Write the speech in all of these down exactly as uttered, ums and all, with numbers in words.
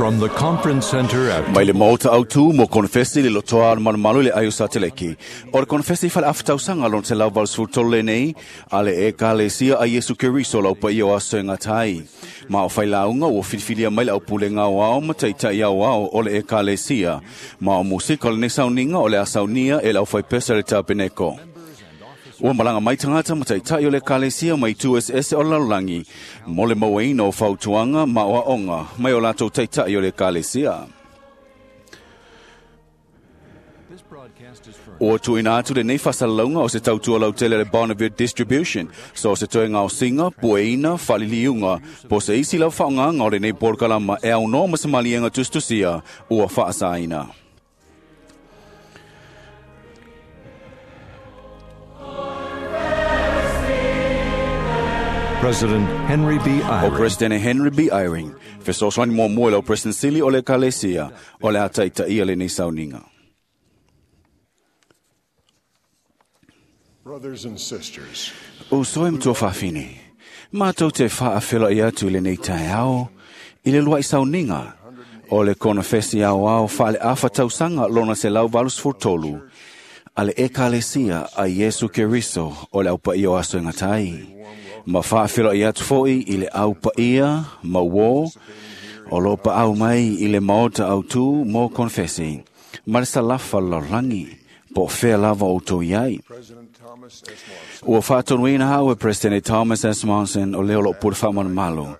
From the conference center at Mai le maota autu mo konfesi le lotoa al malumalu le aio sateleki. O le konfesi fale aftausaga lona selau valusefulu tolu lenei, a le Ekalesia a Iesu Keriso lau paia o aso e gata ai. Ma o failauga ua filifilia mai le aupulega aoao ma taitai aoao o le Ekalesia. Ma o musika o lenei sauniga o le a saunia e le aufaipese a le Tapeneko. Ua malaga mai tagata ma taitai o le Ekalesia mai itu eseese o le lalolagi mo le mauaina o fautuaga ma o aoga mai o latou taitai o le Ekalesia. This broadcast is furnished Ua tuuina atu lenei faasalalauga o se tautua lautele a le Bonneville Distribution, so o se toega osiga, pueina, faaliliuga, po o se isi lava faaaogaga o lenei polokalama e aunoa ma se maliega tusitusia ua faasaina. President Henry B. O Eyring President Henry B. Eyring, fesoasoani muamua i lau President Sili o le Ekalesia, o le a taitaia lenei sauniga. Brothers and sisters, Uso e matua fafine, mātou te whaawhela i atu i lenei taeao, i le luai sauniga, o le konofesi aoao whaale afa tausaga lona selau valusefulu tolu, a le Ekalesia a Iesu Keriso o le aupaia o aso e gata ai. Ma whaawhela i atu foi i le aupaia, mauō, o lo paau mai i le maota autu mo konfesi, ma le salafa lalolagi, po o fea lava o outou i ai. President Thomas S. Monson Ua faatonuina au e President Thomas S. Monson o leo loo pule faamanumalo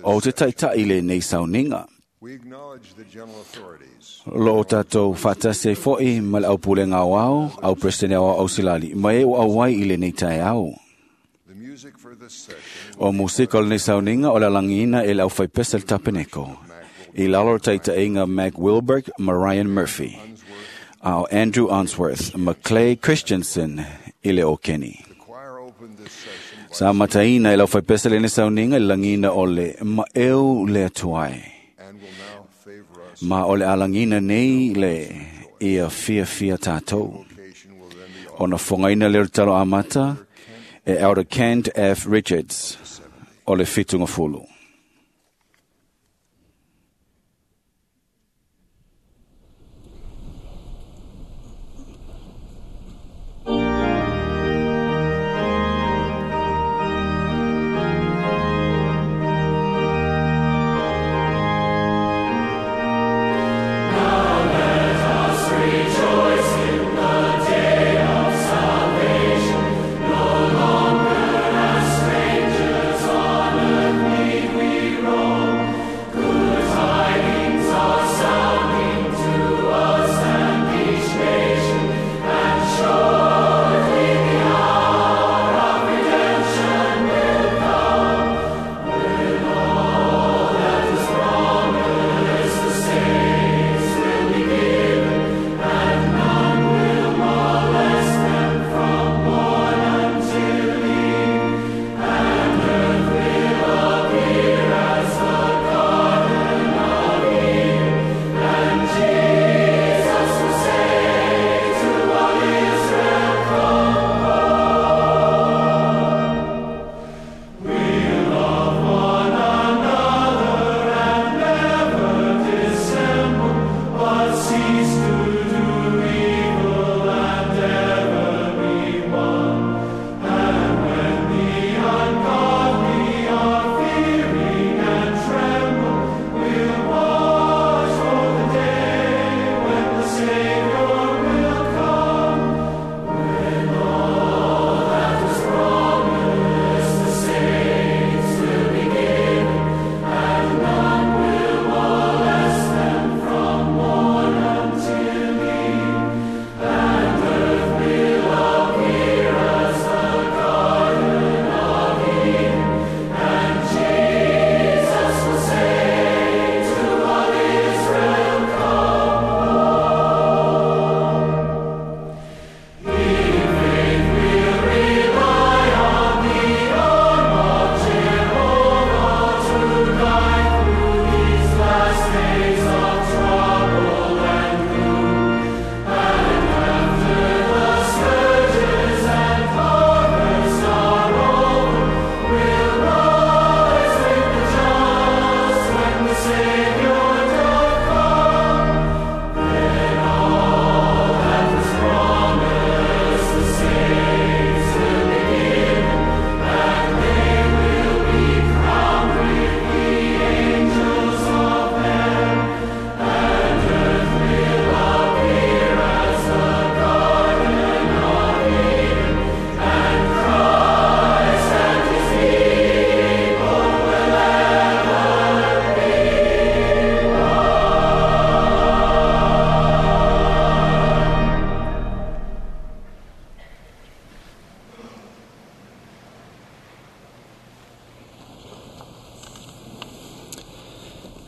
o te taitai lenei sauniga. We acknowledge the general authorities, Loo tatou faatasi ai fo'i ma le aupulega aoao, au President aoao ausilali, ma e ua auai i lenei taeao. The music for this session O musika o lenei sauniga o le alagiina e le aufaipese le Tapeneko. I lalo o le taitaiga Mac Wilberg ma Ryan Murphy. A o Andrew Unsworth ma Clay Christensen i le Okeni. The choir opened this session by Sa mataina e lau faipese lenei sauniga i le lagiina o le maeu le atuai. and will now favor us. Ma o le alagina nei le ia fia fia tātou. Vocation will then be Ona fongaina leo le talo amata e Elder Kent F. Richards o le fitunga fulu. Strangers on earth,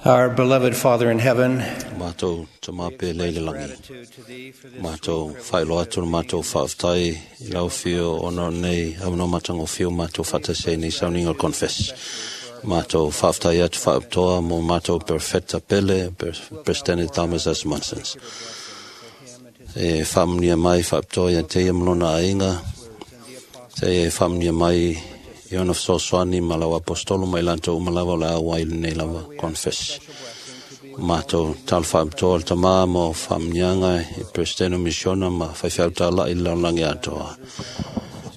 Our beloved Father in heaven, Mātou te māpe leile langi. Mātou whailo atu na mātou whaaftai i lau whio ona nei awano matango whio mātou whatasei nei sauninga confess. Mātou whaaftai atu whaaptoa mo mātou perfecta pele President Thomas S. Monson. E whamunia mai whaaptoa ia te ia mlona ainga. Te e whamunia mai i ona whsosoani ma lau apostolo mai lanto umalawa o le au ai nei lava confess. Mātou talo whaaptoa le tamā mo whamunianga i President Misiona ma whaiwhiau tāla i laulangi atoa.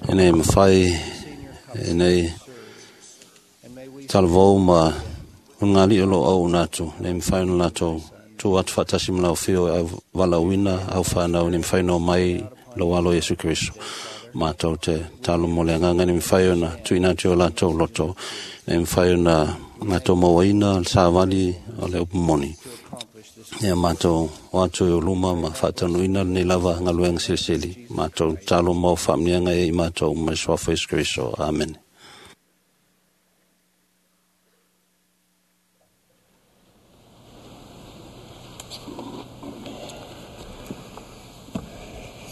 E nei mawhai, e nei talavou ma ungali o lo au natu, nei mawhai na lātou tū atu whaatasi ma lau whio au walauina, au whanau, nei mawhai no mai lo alo Yesu Kristo. Mātou te talo mo le anganga, nei mawhai ona tuina atu o lātou loto, nei mawhai ona mātou mawaina, le sāwali o le upumoni. Ia mātou o atu i o luma ma whaatanuina nei lava ngaluenga silisili. Mātou talo mau whaamnianga e i mātou mai soafo Yesu Kristo. Amen.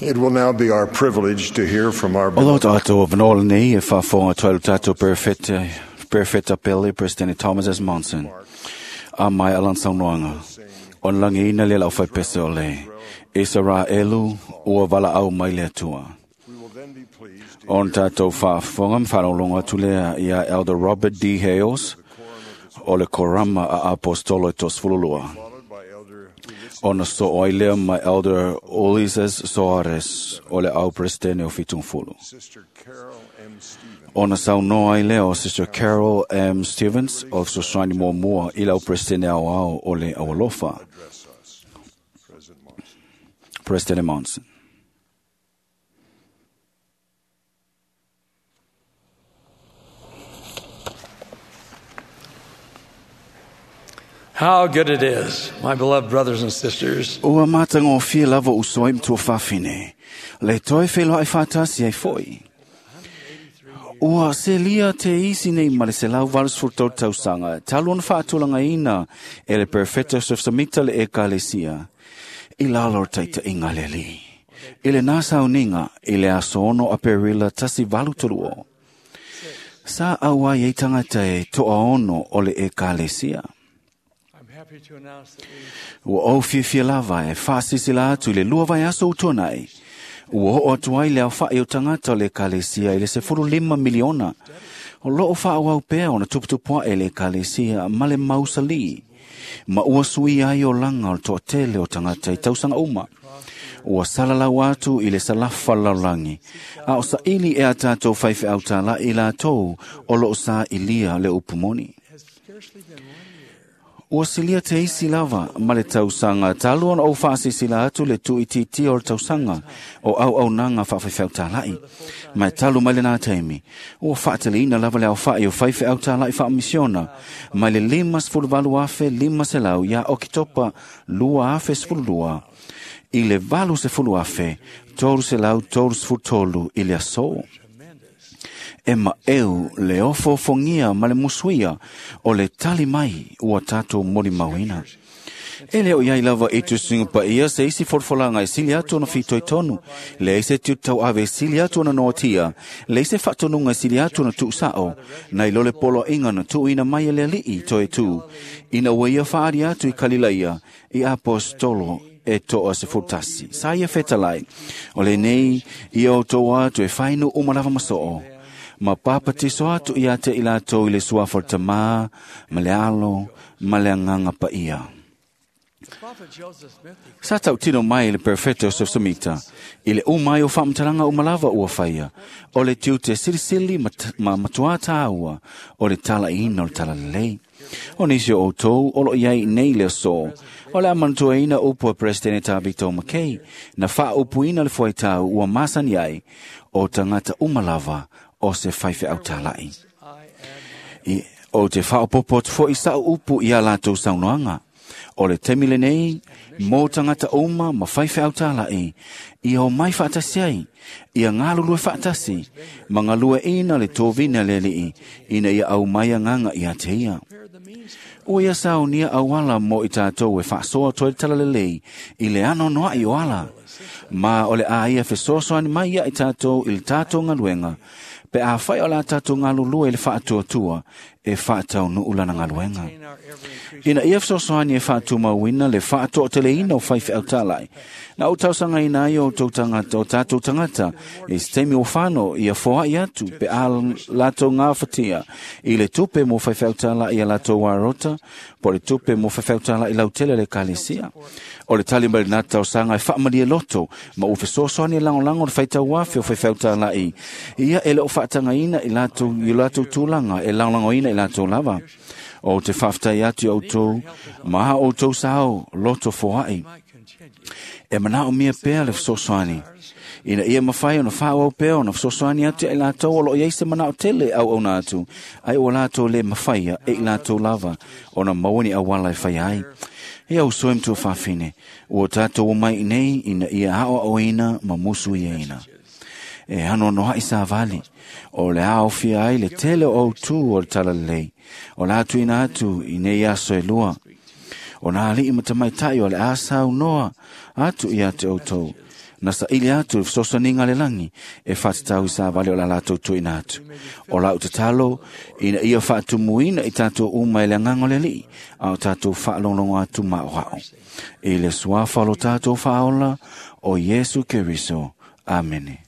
It will now be our privilege to hear from our O lo tātou avanola nei e whaafonga tualu tātou perfecta, perfecta pele President Thomas S. Monson. A mai alan saunoanga. O langi ina le lau whaipese o le. Israelu ua vala au mai le atua. We will then be pleased to On tātou whaafonga mwhanolonga tulea ia Elder Robert D. Hales o le Korama a Apostolo e Tosfululua. followed by Elder Ulysses Ona so oilea mai Elder Ulises Soares o le au presidente o Fitungfulu. Sister Carol M. Stevens, Ona saunoa ai lea o Sister Carol M. Stevens o Sosoani Muamua i lau presidente au ao o le Aualofa, address us. President Monson. President Monson. How good it is, my beloved brothers and sisters, Ua mātanga o fia lava usoi mtua whawhine. Le toi whelo ai whātasi ai foi. Ua selia te isi nei ma le se lau valus furtau tausanga. Talu ona whaatulanga ina e le perfecto sefsamita le ekalesia. I lalo taita inga le li. I le nasa uninga i le aso ono a perila tasi valu toluo. Sa aua i tangata e toa ono o le ekalesia. I'm happy to announce that we Ua au fiafia lava e whaasisila atu i le lua vai aso utuanai. Ua ho atu ai le au whae o tangata o le ekalesia i le sefulu lima miliona. O loo wha au pea ona tuputupua e le ekalesia ma le mausali. Ma ua sui ai o langa o le toatele o tangata i tausanga uma. Ua salalau atu i le salafa laulangi. A o sa ili e a tātou whaiwhe au tāla i lātou o loo sa ilia le upumoni. has scarcely been one year Ua silia te isi lava ma le tausanga talu ona o whaasisila atu le tuititi o le tausanga o au au nanga whaawhaiwhau tālai. Mai talu mai le nā taimi. Ua whaatele lava le au whaai o whaiwhau tālai whaamisiona. Mai le lima sfulu valu afe lima selau ia okitopa lua afe sfulu lua. I le valu sefulu afe, toru selau toru sefulu tolu i le aso. E ma eu le ofo fongia ma le musuia o le tali mai ua tātou mori mauina. E leo iai lava i tusinga pa ia se isi forfolanga e sili atu ona fitoi tonu. Le ese tiu tau ave e sili atu ona noatia. Le ese whatonunga e sili atu ona tuusao. Nei lole polo inga na tuuina mai e le alii toe tū. Ina ua ia whaari atu i Kalilaia i apostolo e toa se futasi. Sa ia fetalai. O le nei i o tō atu e whainu umalava masoo. Ma papatiso atu ia te i lātou i le suafa o le tamā, ma le alo, ma le anganga pa ia. The prophet Joseph Smith declared Sa tau tino mai le perfecto Samita, i le umai o whaamtalanga umalava ua whaia, o le tiu te silisili ma, ma matua tāua, o le tala ina o le tala lelei. O nisi o outou, o lo iai nei le so, o le amantua ina upu a Presidente tā Victor McKay, na wha upu ina le fuaitau ua masani ai, o tangata umalava o se whaiwhe au talai. I add I, o te whaopopo atu fo i sa upu i a lātou saunoanga. O le taimi lenei, mo tagata uma ma faifeau tāla'i, ia o mai faatasi ai, ia galulue faatasi, ma galueaiina le tovina le Alii, ina ia aumai agaga ia te ia. Ua ia saunia auala mo i tatou e faasoa toe le talalelei i le anoanoa'i o ala. Ma o le a ia fesoasoani mai ia i tatou i le tatou galuega, pe afai o la tatou galulue i le faatuatua e faataunuu lana galuega. Ina ia fesoasoani e faatumauina le faatoateleina o faifeau tāla'i, na ou tausagaina ai o outou tagata o tatou tagata i se taimi ua fano ia foai atu pe a latou gafatia i le tupe mo faifeau tāla'i a latou arota po o le tupe mo faifeau tāla'i lautele a le Ekalesia. O le tali mai lena tausaga e faamalie loto ma ua fesoasoani e lagolago le faitauafe o faifeau tāla'i ia e le o faatagaina i latou i o latou tulaga e lagolagoina i latou lava. O te faafetai atu i outou ma a outou sao loto foai. E manaomia pea le fesoasoani ina ia mafai ona faaauau pea ona fesoasoani atu ia i latou o loo i ai se manao tele auauna atu, ai ua latou lē mafaia e i latou lava ona maua ni auala e faia ai. Ia uso e matua fafine, ua tatou omai i nei ina ia aoaoina ma musuiaina. E anoanoa'i savali, o le aofia ai le tele o autū o le talalelei, o le a tuuina atu i nei aso e lua. O nā alii ma tamaita'i o le a saunoa atu ia te outou, na saili atu le fesoasoaniga a le lagi e faatatau i savali o la latou tuuina atu. O lau tatalo ina ia faatumuina i tatou uma e le agaga o le Alii, a o tatou faalogologo atu maoao. I le suafa o lo tatou faaola o Iesu Keriso. Amene.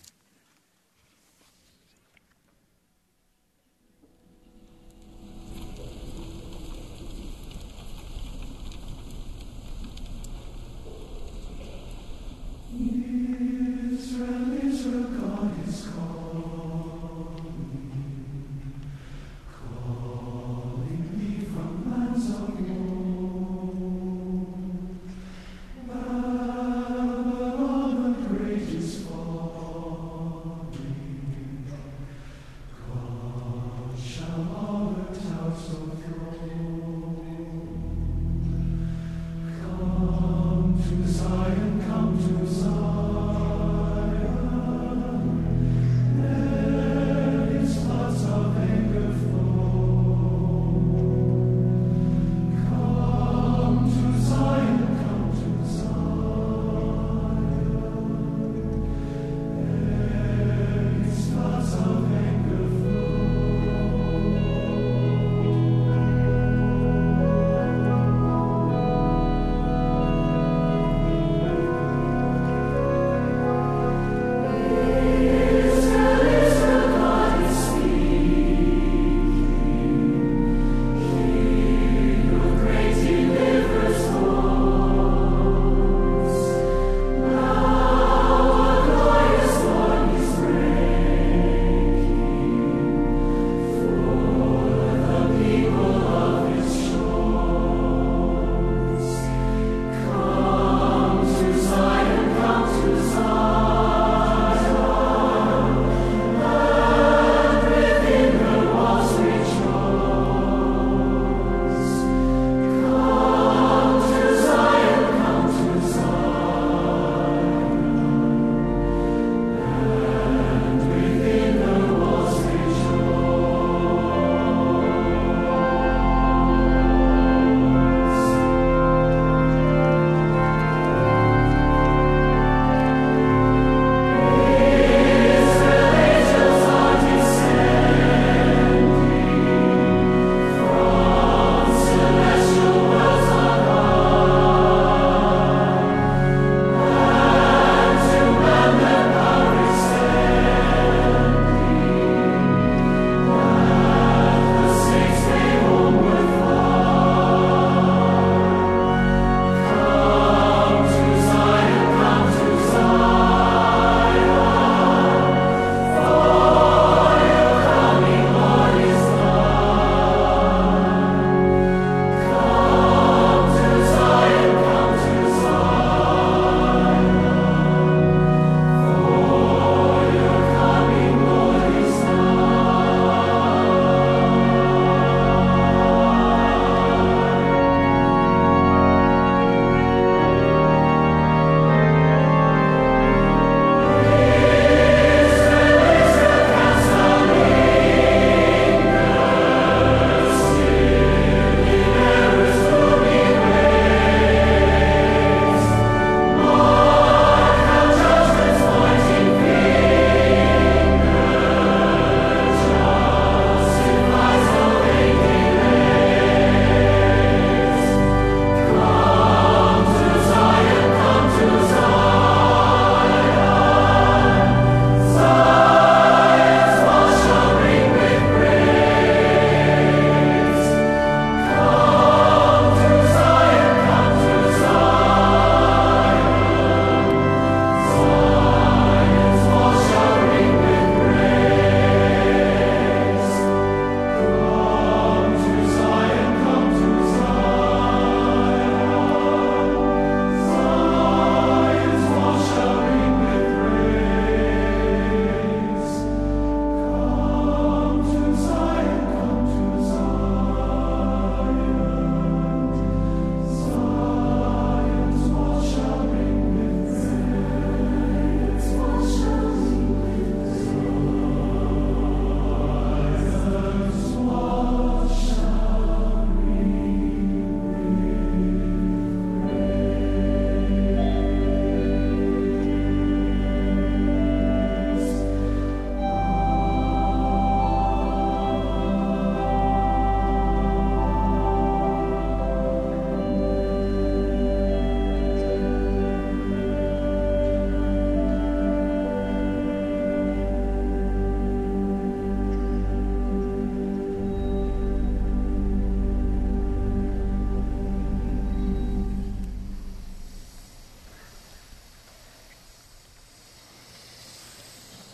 Babylon the great is fallen.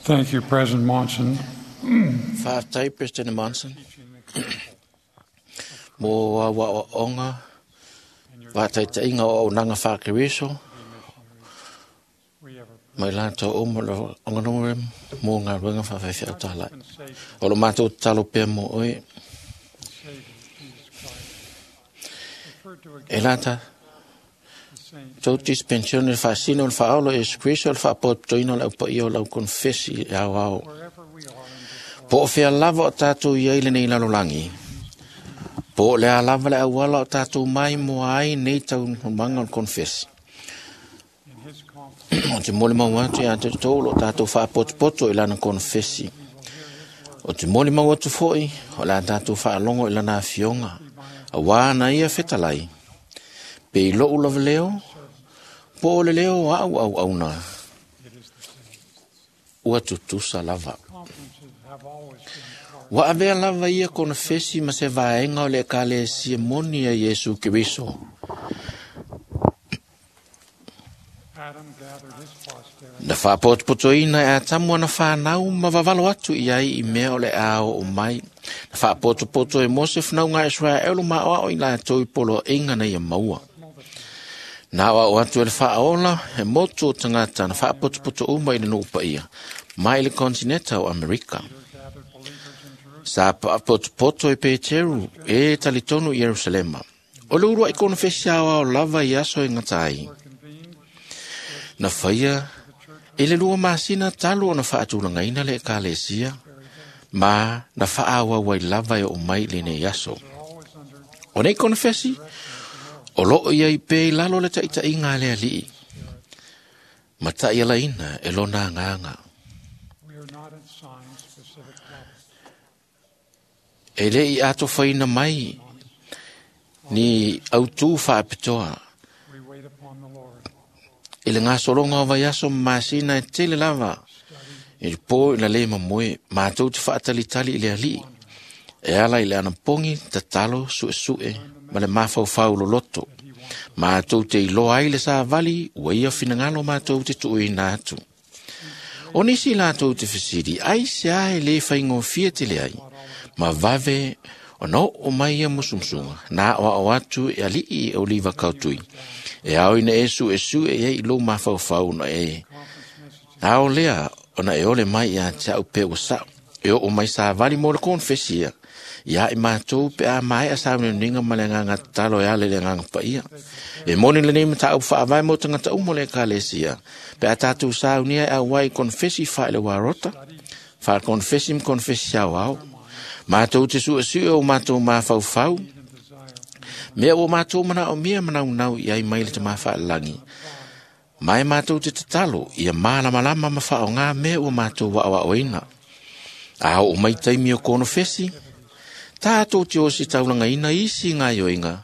Thank you, President Monson. Faafetai President Monson mo au aoaoga faataitaiga o auaunaga faakeriso mai latou uma o oganuga mo galuega faafaifaau talai. O lo matou tatalo pea mo oe e lata tou dispensione le faasino o le faaolo Iesu Keriso o le faapotopotoina o le aupaia o lau konefesi i le aoao. Po o fea lava o tatou i ai lenei lalolagi, po o le a lava le auala o tatou mai moa ai nei taunumaga o le konefesi. O te molimau atu ia te outou o lo o tatou faapotopoto i lana konefesi. O te molimau atu foi o le a tatou faalogo i lana afioga, auā na ia fetalai, pe i lou lava leo, po o le leo o au auauna, ua tutusa lava. Ua avea lava ia konefesi ma se vaega o le ekalesia moni a Iesu Keriso. Na faapotopotoina e Atamu ana whanau ma vavalo atu i ai i mea o le a oo mai. Na faapotopoto e Mose whanau Israelu ma oao i latou i poloaiga na ia maua. Na aoao atu e le faaola e motu o tagata na faapotopoto uma i le nuu paia mai le kontineta o Amerika. Sa faapotopoto e Peteru e talitonu i Ierusalema. O le uluai konefesi aoao lava i aso e gata ai. Na faia i le lua masina talu ona faatulagaina le ekalesia ma na faaauau ai lava e oo mai i lenei aso. O nei konefesi, o loo i ai pea i lalo le taitaiga a le alii, ma taialaina e lona agaga. E le i atofaina mai ni autū faapitoa i le gasologa o vaiaso ma masina e tele lava i le po ina le mamoe matou te faatalitali i le alii e ala i le anapogi tatalo suesue ma le mafaufau loloto. Matou te iloa ai le savali ua ia finagalo matou te tuuina atu. O nisi latou te fesili, ai se a e le faigofie tele ai, ma vave ona oo mai ia musumusuga na aoao atu e alii e oliva kautui. E ao ina e suesue i ai i lou mafaufau ona e ao lea ona e ole mai ia te au pe ua sao. E oo mai savali mo le konefesi ia. Ia i matou pe a maea sauniuniga ma le agaga tatalo e ala i le agaga paia. E moni lenei mataupu faavae mo tagata uma o le ekalesia. Pe a tatou saunia e auai i konefesi faaileoa faakonefesi ma konefesi aoao. Matou te suesue o matou mafaufau, mea ua matou manaomia manaunau i ai mai le Tamā Faalelagi. Ma e matou te tatalo ia malamalama ma faaaoga mea ua matou aoaoina. A oo mai taimi o konefesi, tatou te ositaulagaina isi gaioiga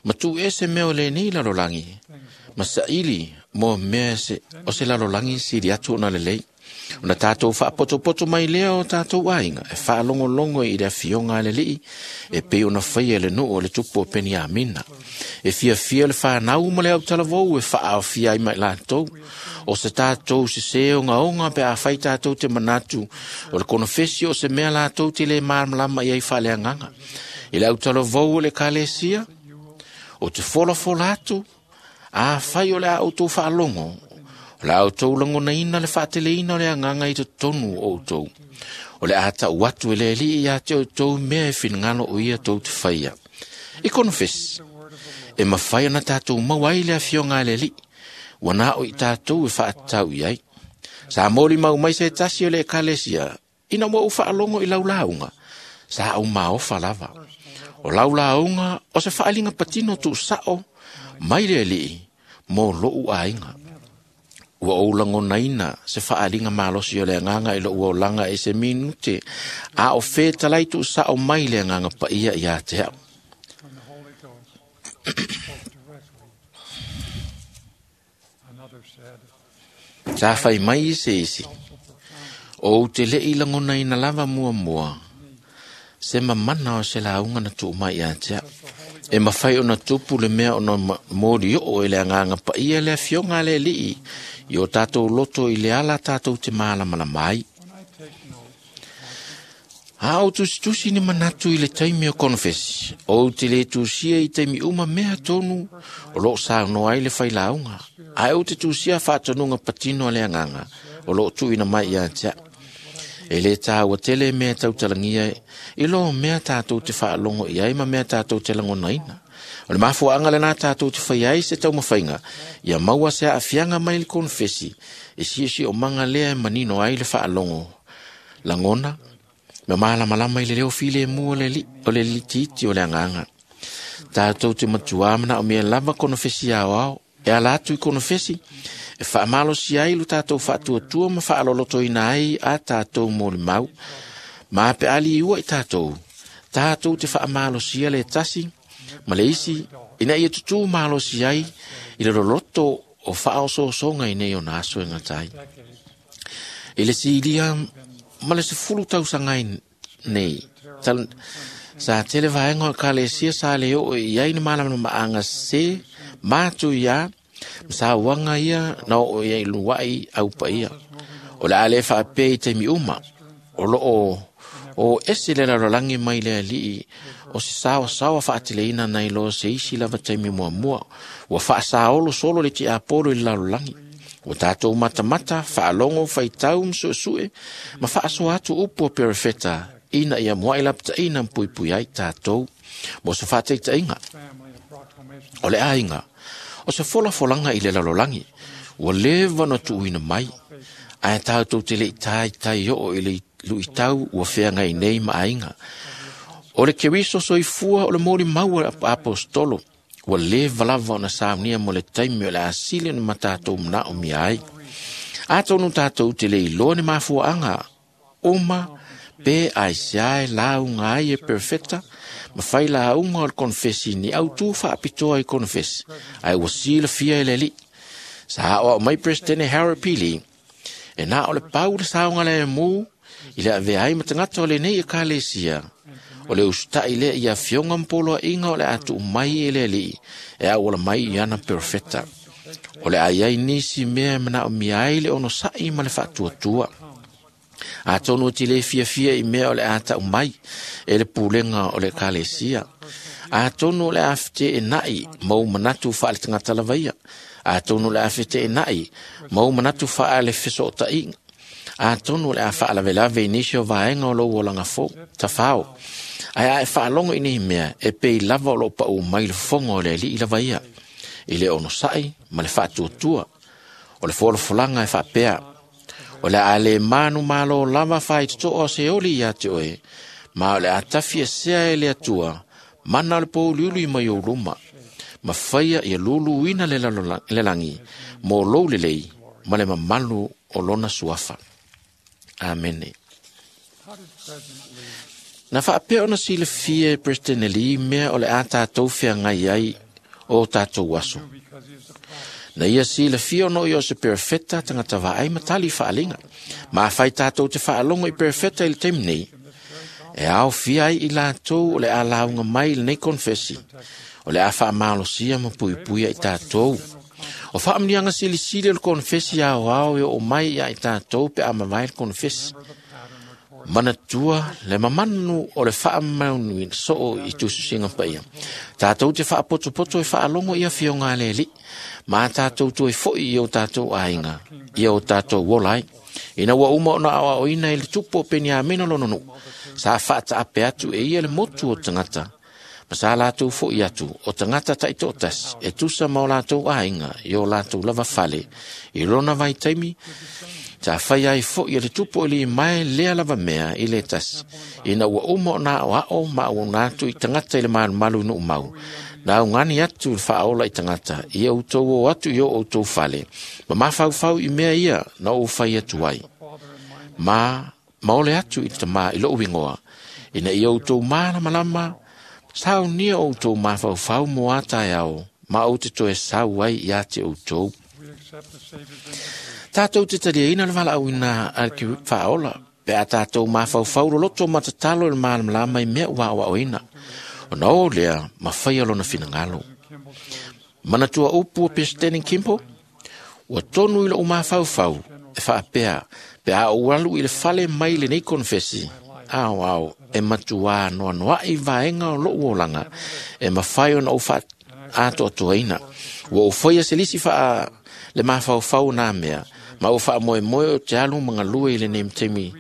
ma tuuese mea o lenei lalolagi ma saili mo mea se, o se lalolagi sili atu ona lelei. Ona tatou faapotopoto mai lea o tatou aiga e faalogologo i le afioga a le alii e pei ona faia e le nuu o le tupu o Peniamina. E fiafia le whanau ma le autalavou e faaofia ai mai latou. O se tatou sese ogaoga pe a fai tatou te manatu o le konefesi o se mea latou te le malamalama i ai faaleagaga. I le autalavou o le ekalesia, o te folafola atu, a fai o le a outou faalogo, o le a outou lagonaina le faateleina o le agaga i totonu o outou. O le a tau atu e le alii ia te outou mea e finagalo o ia tou te faia. I konefesi, e mafai ona tatou maua ai le afioga a le alii, ua na o i tatou e faatatau i ai. Sa molimau mai se tasi o le ekalesia, ina ua ou faalogo i lau lauga, sa ou maofa lava. O lau lauga o se faaliga patino tuusao mai le alii mo lou aiga. Ua ou lagonaina se faaliga malosi o le agaga i lou olaga e se minute, a o fetalai tuusao mai le agaga paia ia te au. When the Holy Ghost spoke directly. Another said, Sa fai mai i se isi, o ou te lei lagonaina lava muamua, se mamana o se lauga na tuu mai ia te au. E mafai ona tupu le mea ona moli oo e le agaga paia le afioga a le alii i o tatou loto i le ala tatou te malamalama ai. A o tusitusi ni manatu i le taimi o konofesi, o te le tusia i taimi uma mea tonu o loo saunoa ai le failauga. Ae o te tusia faatonuga patino a le agaga o loo tuuina mai ia te au. E le tāua tele mea tautalagia i lo mea tātou te faalogo i ai ma mea tātou te lagonaina. O le mafuaaga lenā tātou te fai ai se taumafaiga, ia maua se aafiaga mai le konofesi, e siosiomaga lea e manino ai le faalogo. Lagona, ma malamalama i le leo filemu o le li, o le litiiti o le agaga. Tātou te matuā manaomia lava konofesi aoao, e ala atu i konofesi, e faamalosi ai lo tātou faatuatua ma faalolotoina ai a tātou molimau. Ma pe ali iua i tātou, tātou te faamalosia le tasi, ma le isi, ina ia tutū malosi ai i le loloto o faaosoosoga i nei ona aso e gata ai. I le silia ma le sefulu tausaga ai nei, tal, sa tele vaega o ekalesia sa le oo i ai ni malamalamaaga se matu ia, ma sauaga ia na oo ia i lua'i aupaia. O le a le faapea i taimi uma, o loo o ese le lalolagi mai le alii o se saosaoa faateleina nai lo se isi lava taimi muamua. Ua faasaolo solo le tiapolo i le lalolagi. Ua tātou matamata, faalogo, faitau ma suesue, ma faasoa atu upu o perefeta, ina ia mua'i lapataʻina ma puipui ai tātou. Mo se faataitaiga, o le aiga, o se folafolaga i le lalolagi, ua leva ona tuuina mai, ae tātou te leʻi taitai oo i le luitau ua feagai nei ma aiga. O le Keriso soifua o le molimau a apostolo, ua leva lava ona saunia mo le taimi o le asili ona matatou manaomia ai. Atonu tātou te le iloa ni mafuaaga uma pe aisea e lauga ai e perfeta, ma fai lauga o le konofesi ni autū faapitoa i konofesi, ae ua silafia e le alii. Sa aoao mai Presidente Harold P. Lee, e na o le pau le saoga le mu i le avea ai ma tagata o lenei ekalesia. O le usutaʻi lea i afioga ma poloaʻiga o le a tuu mai e le alii e auala mai i ana perofeta. O le a iai nisi mea e manaomia ai le onosaʻi ma le faatuatua. Atonu e te le fiafia i mea o le a tau mai e le pulega o le ekalesia. Atonu o le a feteenai mau manatu faale tagata lava ia. Atonu o le a feteenai mau manatu faale fesootaiga. Atonu o le a faalavelave i nisi o vaega o lou olaga fou, tafao. Ae a e faalogo i nei mea, e pei lava o loo paʻu mai le fofoga o le alii lava ia, i le onosaʻi ma le faatuatua. O le folafolaga e faapea, o le a le manu malo lava faitotoo o se oli ia te oe, ma o le a tafi esea e le Atua, mana o le pouliuli mai ou luma, ma faia ia luluina le le lagi, mo lou lelei, ma le mamalu o lona suafa. Amene. Na faapea ona silafia e President Lee mea o le a tātou feagai ai o tātou aso. Na ia silafia ona o ia o se perofeta tagata vaai ma tali faaliga. Ma afai tātou te faalogo i perofeta i le taimi nei, e aofia ai i latou o le a lauga mai i lenei konofesi, o le a faamalosia ma puipuia i tātou. O faamanuiaga silisili o le konofesi aoao e oo mai ia i tātou pe a mavae le konofesi. Manatua le mamanu o le faamaunuina soo i tusisiga paia. Tātou te faapotopoto e faalogo i afioga a le alii, ma tātou toe foʻi i o tātou aiga, i o tātou ola ai. Ina ua uma ona aoaoina i le tupu o Peniamina lona nuu, sa faataape atu e ia le motu o tagata, ma sa latou foʻi atu o tagata taitoatasi e tusa ma o latou aiga i o latou lava fale i lona vaitaimi. Sa fai ai foʻi e le tupu o Limae lea lava mea i le tasi. Ina ua uma ona aoao ma auauna atu i tagata i le malumalu i nuumau, na augani atu le faaola i tagata, ia outou o atu i o outou fale, ma mafaufau i mea ia na ou fai atu ai. Ma maole atu i le tamā i lou igoa, ina ia outou malamalama, saunia outou mafaufau mo a taeao, ma ou te toe sau ai ia te outou. Tātou te taliaina le valaauina a le faaola, pe a tātou mafaufau loloto ma tatalo i le malamalama i mea ua aoaoina. Ona o lea, ma faia lona finagalo. Manatua upu o President Kimball, ua tonu i lou mafaufau e faapea, pe a ou alu i le fale mai lenei konofesi, aoao e matuā noanoaʻi vaega o loʻu olaga e mafai ona ou faatoatoaina. Ua ou faia se lisi faa le mafaufau o nā mea, ma ua faamoemoe o te alu ma galue i lenei taimi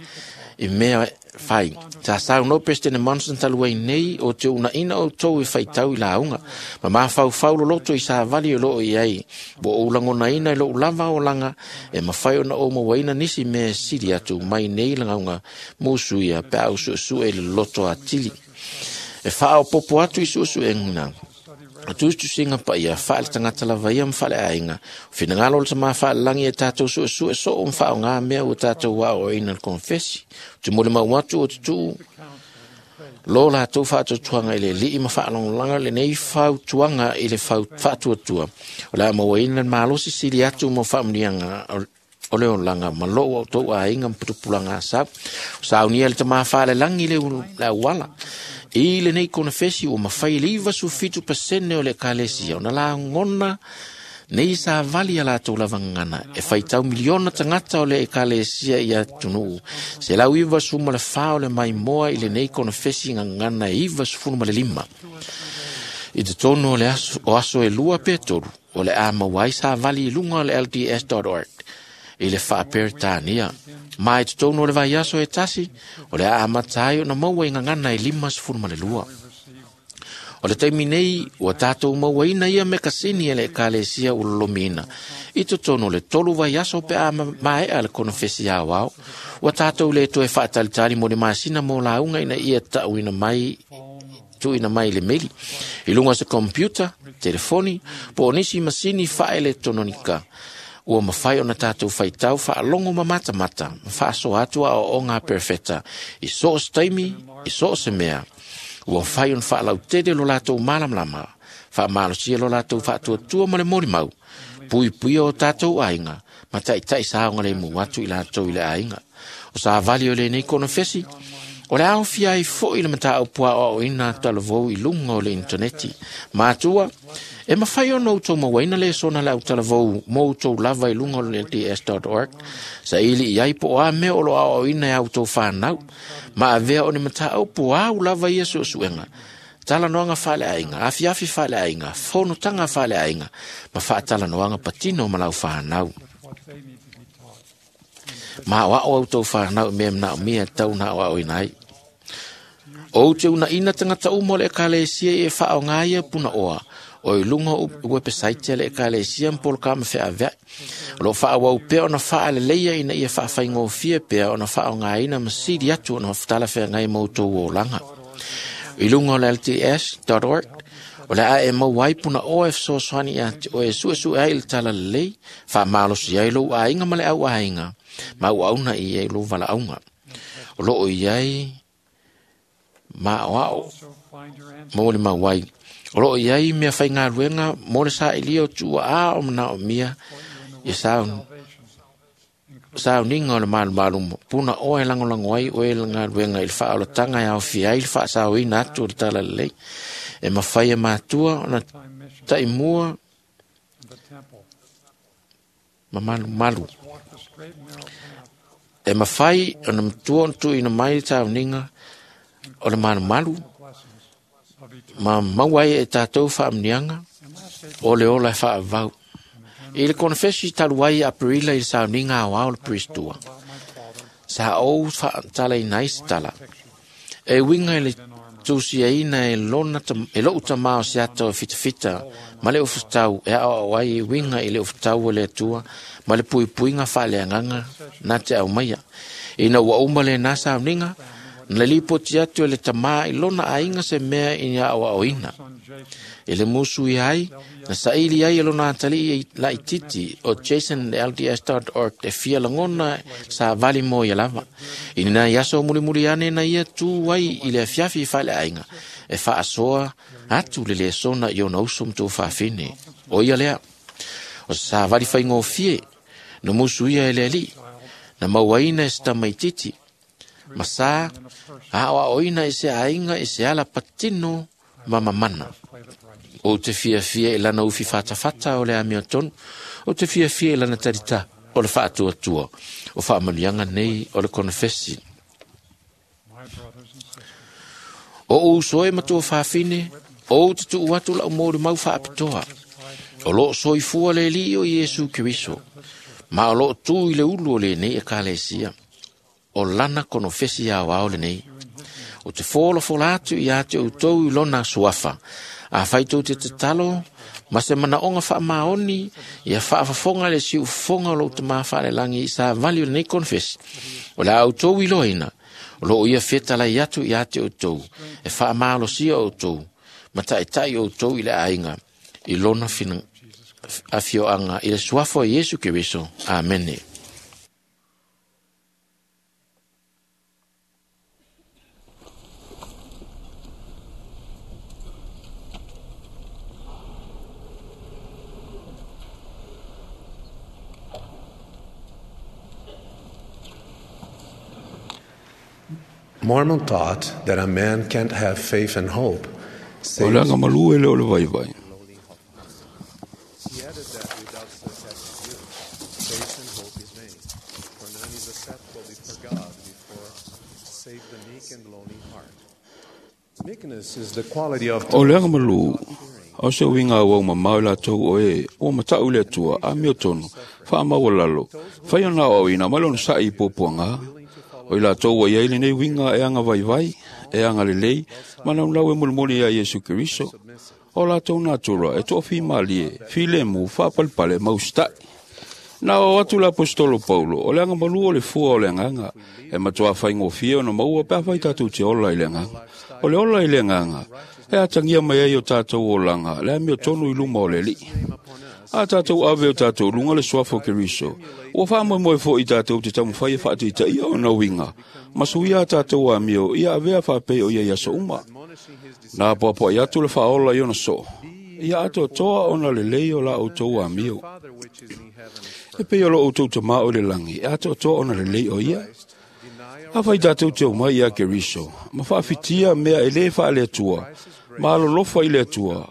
i mea fai. Sa saunoa President Monson talu ai nei o te unaina outou e faitau i lauga, ma mafaufau loloto i savali o loo i ai. Ua ou lagonaina i lou lava olaga e mafai ona ou mauaina nisi mea e sili atu mai nei lagauga musuia pe a ou suesue i le loto atili. E faaopopo atu i suesuega o tusitusiga paia faale tagata lava ia ma faaleaiga, o finagalo o le tamā faalelagi e tatou suesue soo ma faaaogā mea ua tatou aoaoina i le konefesi. O te molimau atu o tutuu lo latou faatuatuaga i le alii ma faalagolaga lenei fautuaga i le faatuatua o le a mauaina le malosi sili atu mo faamuniaga o le olaga ma lou outou aiga ma putupulaga asau. O saunia le tamā faalelagi le le auala. I lenei konefesi ua mafai le iva sufitu pasene o le ekalesia ona lagona nei savali a latou lava gagana e faitau miliona tagata o le ekalesia i atunuu se lau iva sefulu ma le fa o le maimoa i lenei konefesi gagana e iva sefulu ma le lima. I totonu o le aso, o aso e lua pe tolu, o le a maua ai savali i luga o le L D S dot org i le faaperetania. Ma i totonu o le vaiaso e tasi, o le a amata ai ona maua i gagana e lima sefulu ma le lua. O le taimi nei, ua tatou mauaina ia mekasini e le ekalesia ua lolomiina. I totonu o le tolu vaiaso pe a maea le konefesi aoao, ua tatou le toe faatalitali mo le masina mo lauga ina ia tauina mai tuuina mai i le meli. I luga o se computer, telefoni, po o nisi masini faaeletononika, ua mafai ona tatou faitau faalogo ma matamata, ma faasoa atu aoaoga a perefeta i so o se taimi, i so o se mea. Ua mafai ona faalautele lo latou malamalama, faamalosia lo latou faatuatua ma le molimau, puipuia o tatou aiga, ma taitai saogalemu atu i latou i le aiga. O savali o lenei konefesi, o le aofia ai foi le mataupu aoaoina talavou i luga o le interneti. Matua, e mafai ona outou mauaina le sona le autalavou mo outou lava i luga o le L D S dot org, saili i ai po o a mea o lo aoaoina e outou whanau, ma avea o ni mataupu au lava ia suesuega, talanoaga faaleaiga, afiafi faaleaiga, fonotaga faaleaiga, ma faatalanoaga patino ma lau whanau. Ma o ao outou whanau i mea manaomia tau na aoaoina ai. O te unaina tagata uma o le ekalesia e faaaoga ia punaoa, o i luga o website a le ekalesia ma polokama feaveai. O loo faaauau pea ona faaleleia ina ia faafaigofie pea ona faaaogaina ma sili atu ona talafeagai ma outou olaga. I luga o le L D S dot org, o le a e maua ai punaoa e fesoasoani ia te oe e suesue ai i le talalelei, faamalosi ai lou aiga ma le au aiga, ma auauna i ai lou valaauga. O loo i ai maoao mo le mauai. O loo i ai mea faigaluega mo le saili o tuuaa o manaomia ia sauniga o le malumalu punaoa e lagolago ai oe le galuega i le faaolataga e aofia ai le faasaoina atu o le talalelei. E mafai e matua ona taimua ma malumalu. E mafai ona matua ona tuuina mai le sauniga o le malumalu ma maua ai e tatou faamuniaga o le ola e faavau. I le konefesi talu ai Aperila i le sauniga aoao le Pristua, sa ou faatalaina ai se tala. E uiga i le tusiaina e, lona, e lou tamā o se ata o fitafita ma le ufutau e aoao ai e uiga i le ufutau o le Atua ma le puipuiga faaleagaga na te aumaia. Ina ua uma lenā sauniga, na lipoti atu e le tamā i lona aiga se mea i aoaoina. E le musu i ai, na saili ai e lona atalii laititi o Jason L D S dot org e fia lagona sa vali mo ia lava. I nina i aso mulimuli ane na ia tu ai i le afiafi i faleaiga e faasoa atu le lesona i ona uso ma tou faafine. O ia lea, o sa vali faigofie, na musu ia e le alii, na mauaina e se tamaititi, ma sa aoaoina i se aiga i se ala patino ma mamana. O te fiafia i lana ufi fatafata o le amiotonu, o te fiafia i lana tarita o le faatuatua, o faamanuiaga nei o le konefesi. O ou soe matua fafine, ou te tuu atu lau mōri mau whaapitoa. O loo soifua le li o Iesu Keriso. Ma o loo tū i le ulu o le nei e kalesia. O lana konofesi au ao le nei. O te fōla fōla atu i ate o tau i lona suafa. A whaitou te te talo, ma se mana onga wha maoni, ia whaafafonga le si ufonga o lou te mawhaale langi i sa vali o le nei konfesi. O le au tau i loina, o loo ia whetala i atu i ate o tau, e wha maalosia o tau, ma taitai o tau i le ainga, i lona fina afioanga, i le suafa o Iesu Keriso. Amene. Mormon taught that a man can't have faith and hope. O le agamalu e le o le vaivai. He added that without such attributes, faith and hope is vain, for none is acceptable before God before save the meek and lowly heart. Meekness is the quality of O le agamalu, au se uiga auau mamao i latou o e, ua matau le Atua, a mio tonu, faamaualalo, fai ona aoaoina ma le onosaʻi i puapuaga. O i latou ua iai lenei uiga e aga vaivai, e aga lelei, ma naunau e mulimuli ia Iesu Keriso. O latou natura e toafimalie, filemu, faapalepale ma usitaʻi. Na o atu le apostolo Paulo, o le agamalu o le fua o le agaga, e matuā faigofie ona maua pe afai tatou te ola i le agaga. O le ola i le agaga, e atagia mai ai o tatou olaga, le amiotonu i luma o le Alii. A tatou ave o tatou luga le suafa o Keriso, ua faamoemoe foʻi tatou te taumafai e faataitaia ona uiga, ma suia a tatou amio ia avea faapei o ia i aso uma. Na apoapoai atu le faaola i ona soo, ia atoatoa ona lelei o la outou amio. E pei o lo outou tamā o le lagi, e atoatoa ona lelei o ia. Afai tatou te omai ia Keriso, ma faafitia mea e lē faaleatua, ma alolofa i le Atua,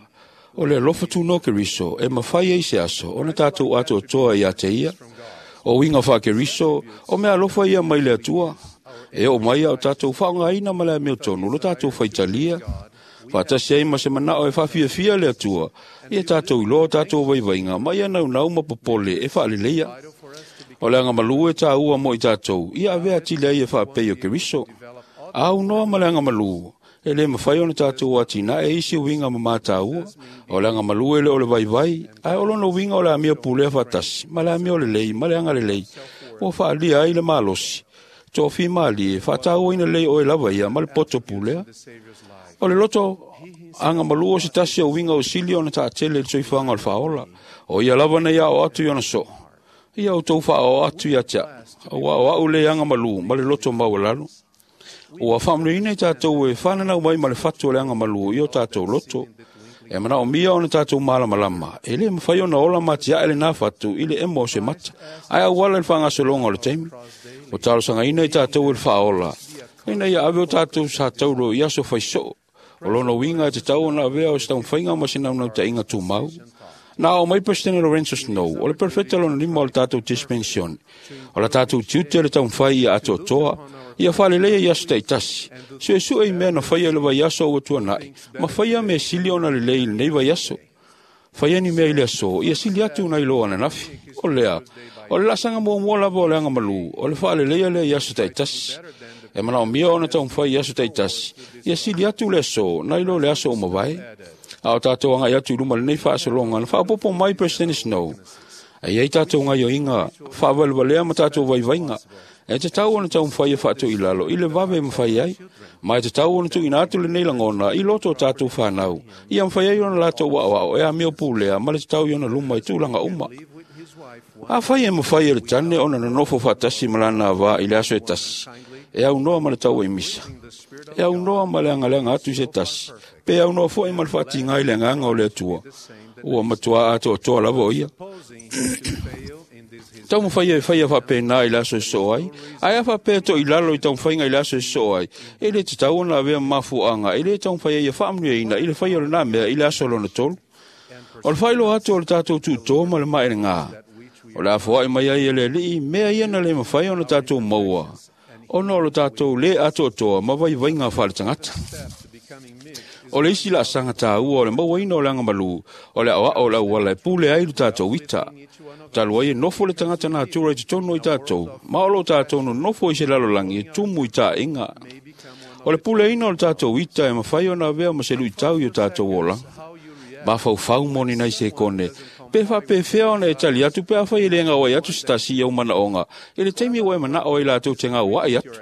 o le alofa tunoa Keriso e mafai ai se aso ona tatou atoatoa ia te ia. O uiga faa-Keriso, o mea alofa ia mai le Atua, e oo mai ao tatou faaaogaina ma le amiotonu lo tatou faitalia. Faatasi ai ma se manao e faafiafia le Atua, ia tatou iloa tatou vaivaiga ma ia naunau ma popole e faaleleia. O le agamalu e tāua mo i tatou, ia avea atili ai e faapei o Keriso. Aunoa ma le agamalu, e le mafai ona tatou atinae isi uiga ma mataua. O le agamalu e le o le vaivai, ae o lona uiga o le amio pulea faatasi, ma le amio lelei, ma le agalelei, ua faaalia ai le malosi. Toafimalie, faatauaina lelei oe lava ia ma le poto pulea. O le loto agamalu o se tasi o uiga o sili ona taatele i le soifuaga o le faaola. O ia lava nei ao atu i ona soo. Ia outou faaoo atu ia te au, ua o au le agamalu ma le loto maualalo. Ua faamanuiaina i tatou e fananau mai ma le fatu o le agamalu i o tatou loto. E manaomia ona tatou malamalama, e lē mafai ona ola matiae lenā fatu i le emo o se mata, ae auala i le faagasologa o le taimi. O talosagaina i tatou e le faaola, ina ia ave o tatou sataulo i aso faisoo. O lona uiga e tatau ona avea o se taumafaiga ma se naunautaiga tumau. Na ao mai Presidente Lorenzo Snow, o le perfeta lona lima o le tatou dispension. O la tatou tiute le taumafai ia atoatoa, ia faaleleia i aso taitasi. Suesue i mea na faia i le vaiaso ua tuanai, ma faia mea sili ona lelei i lenei vaiaso. Faia ni mea i le aso, ia sili atu nai lo ananafi. O lea, o le laasaga muamua lava o le agamalu, o le faaleleia lea i aso taitasi. E manaomia ona taumafai i aso taitasi, ia sili atu le aso, nai lo le aso o mavae. A o tatou agai atu i luma lenei faasologa, na faaopoopo mai President Snow. E iai tatou gaioiga faavalevalea ma tatou vaivaiga. E tatau ona taumafai e faatoilalo i le vave e mafai ai, ma e tatau ona tuuina atu lenei lagona i loto o tatou fanau, ia mafai ai ona latou aoao e amio pulea ma le tatau i ona luma i tulaga uma. Afai e mafai e le tane ona nonofo faatasi ma lana avā i le aso e tasi, e aunoa ma le tauaimisa, e aunoa ma le agaleaga atu i se tasi, pe aunoa foʻi ma le faatiga i le agaga o le Atua, ua matuā atoatoa lava o ia. Taumafai e faia faapena i le aso e soo ai, ae a faapea toilalo i taumafaiga i le aso e soo ai, e lē tatau ona avea mafuaaga e lē taumafai ai ia faamanuiaina i le faia o lenā mea i le aso lona tolu. O le faailoa atu o le tatou tutō ma le maelegā, o le afoaʻi mai ai e le Alii mea ia na lē mafai ona tatou maua. Ona o lo tātou le atoatoa ma vaivaiga faale-tagata. O le isi laasaga tāua o le mauaina o le agamalu, o le aoao o le auala e pule ai lo tātou ita. Talu ai e nofo le tagata natura i totonu o i tātou, ma o lo tātou nonofo i se lalolagi e tumu i taaiga. O le puleina o le tātou ita e mafai ona avea ma se luitau i o tātou olaga. Mafaufau moni nai se kone, pe faapefea ona e tali atu pe afai e le gauai atu se tasi i au manaoga, i le taimi ua e manao ai latou te gauai atu.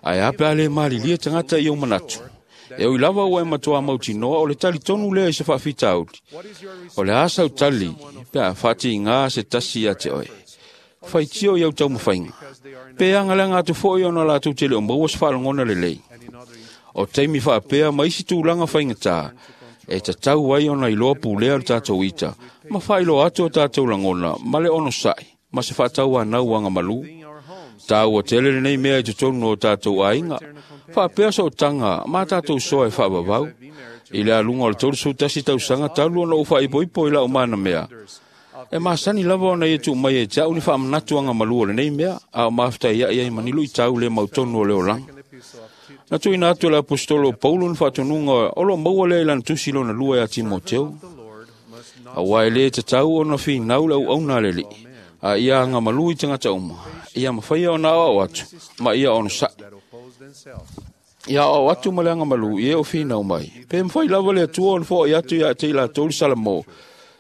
Ae a pe a le malilie tagata i au manatu. E ui lava ua e matua mautinoa o le talitonu lea i se faafitauli. O le a sau tali pe a faatigā se tasi ia te oe. Faitio i au taumafaiga. Pe agaleaga atu foi ona latou te le o maua se faalogona lelei. O taimi faapea ma isi tulaga faigatā, e tatau ai ona iloa pulea le tātou ita, ma faailoa atu o tātou lagona ma le onosai, ma se faatauanau agamalu. Tāua tele lenei mea i totonu o tātou aiga, faapea sootaga ma tātou soa e faavavau. I le aluga o le tolusefulu tasi tausaga talu ona ou faaipoipo i lau mana mea. E masani lava ona ia tuu mai e te au ni faamanatu agamalu o lenei mea, a o maftaiai ai mani luitau le mautonu o le olaga. Na tuuina atu e le aposetolo o Paulo ni faatonuga o loo maua lea i lana tusi lona lua ia Timoteo. Auā e lē tatau ona finau le auauna a le Alii, a ia agamalu i tagata uma, ia mafaia ona aoao atu, ma ia onosai. Ia aoao atu ma le agamalu i e o finau mai. Pe mafai lava le Atua ona foai atu ia te i latou le Salamo,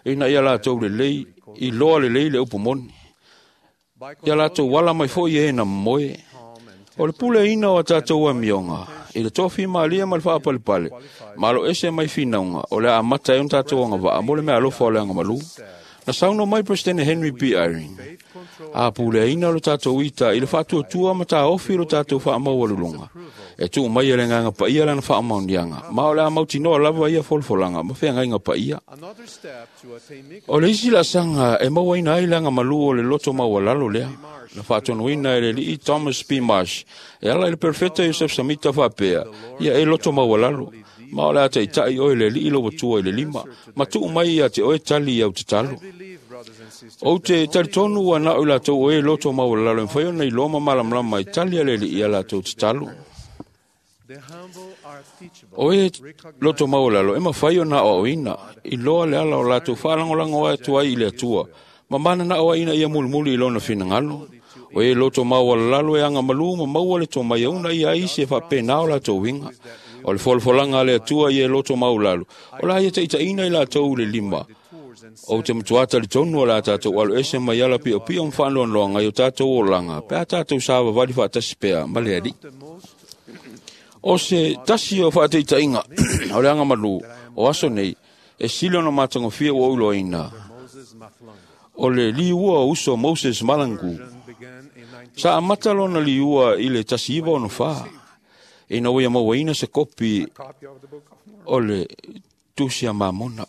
ina ia latou lelei, iloa lelei le upu moni. Ia latou ala mai foi e na momoe. O le puleina o a tātou amioga, i le tofi malia ma le faapalepale, malo ese mai finauga, o le a amata ai ona tātou agavaa mo le meaalofa o le agamalu. Na saunoa mai Peresetene Henry B. Eyring, a puleaina o le tātou ita i le faatuatua ma tāofi lo tātou faamaualuluga. E tuu mai e le Agaga Paia lana faamaoniaga, ma o le a mautinoa lava ia folafolaga ma feagaiga paia. O le isi laasaga e mauaina ai le agamalu o le loto maualalo lea, na faatonuina e le alii Thomas P. Marsh, e ala i le perofeta Iosef Samita faapea, ia e loto maualalo, ma o le a taitai oe le alii lo atua i le lima, ma tuu mai ia te oe tali i au tatalo. Ou te talitonu ua nao i latou oe loto maualalo e mafai ona iloa ma malamalama i tali a le alii ia latou tatalo. O e loto maualalo e mafai ona aoaoina, iloa le ala o latou faalagolago atu ai i le Atua, ma mananao ai ina ia mulimuli i lona finagalo. O e loto maualalalo e agamalu ma maua le tomai e una ia ai se faapena o latou uiga. O le folafolaga a le Atua ia e loto maualalo, o la ia taitaiina i latou i le lima. Ou te matua talitonu o le a tātou alo ese mai ala piopio ma faanoanoaga i o tātou olaga, pe a tātou savavali faatasi pea ma le Alii. O se tasi o faataitaiga o le agamalu o aso nei, e sili ona matagofie ua ou iloaina, o le liua o uso Moses Malangu. Sa amata lona liua i le tasi iva ono fa, ina ua ia mauaina se kopi o le tusi a Mamona.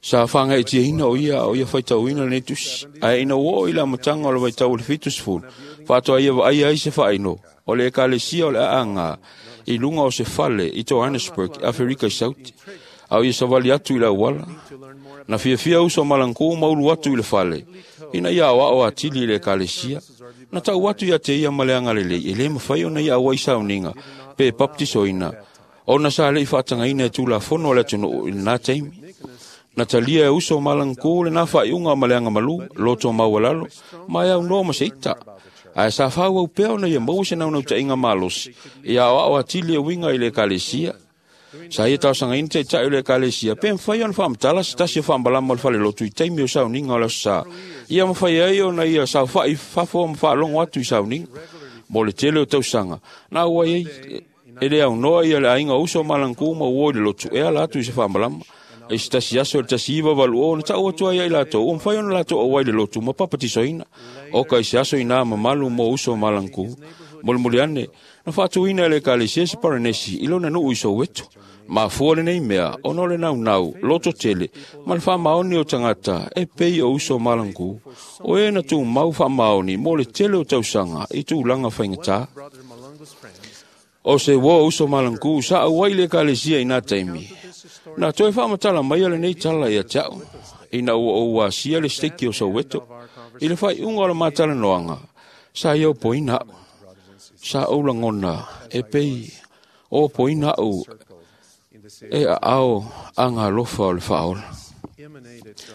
Sa whangaitiaina o ia o ia whaitauina lenei tusi, ae ina ua oo i le amataga o le vaitau o le fitusefulu, faatoa ia vaaia ai se faaino o le ekalesia o le aaga i luga o se fale i Johannesburg, Aferika i Sauti, a o ia savali atu i le auala. Na fiafia uso Malangu ma ulu atu i le fale, ina ia aoao atili i le ekalesia. Na tau atu ia te ia ma le agalelei, e le mafai ona ia auai sauniga, pe baptisoina, ona sa lei faatagaina e tulafono o le atunuu i lena taimi. Na talia e uso Malangu lena faaiuga ma le agamalu, loto maualalo, ma e aunoa ma se ita. Ae sa faaauau pea ona ia maua se naunautaiga malosi, ia aoao atili e uiga i le ekalesia. Sa ia taosagaina taitai o le ekalesia, pe mafai ona faamatala se tasi o faamalama o le falelotu i taimi o sauniga o le aso sa. Ia mafai ai ona ia saofa'i fafo ma faalogo atu i sauniga. Mo le tele o tausaga, na auai ai e le aunoa ia le aiga o uso Malangu ma uo i le lotu e ala atu i se faamalama. E se tasi aso i le tasi iva valu o na tau atu ai ai latou, ua mafai ona latou auai le lotu ma papatisoina. O ka i se aso inā mamalu mo uso Malangu. Molimoli ane, na faatuina e le ekalesia se Paranesi i lona nuu i Soweto. Mafua lenei mea, ona o le naunau, loto tele, ma le faamaoni o tagata e pei o uso Malangu. O e na tumau faamaoni mo le tele o tausaga i tulaga faigata. O se ua o uso Malangu sa auai le ekalesia i nā taimi. Na toe faamatala mai a lenei tala ia te au, ina ua ou asia le steki o Soweto. I le faaiuga o le matalanoaga, sa ia opoina a'u. Sa ou lagona e pei o opoina a'u e aao agalofa o le faaola.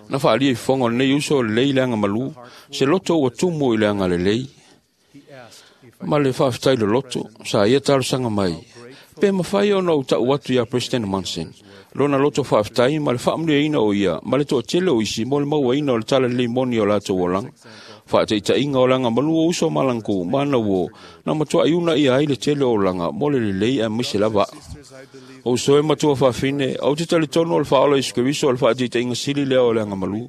Na faalia i fofoga o lenei uso o lelei le agamalu, se loto ua tumu i le agalelei. Ma le faafetai loloto, sa ia talosaga mai, pe mafai ona ou ta'u atu iā President Monson, lona loto faafetai ma le faamanuiaina o ia ma le toatele o isi mo le mauaina o le talalelei moni o latou olaga. Faataitaiga o le agamalu o uso ma lagku ma ana uō, na matuai uunaia ai le tele o olaga mo le lelei aemaise lava a'u. O uso e matua faafine, ou te talitonu o le faaola Iesu Keriso o le faataitaiga sili lea o le agamalu.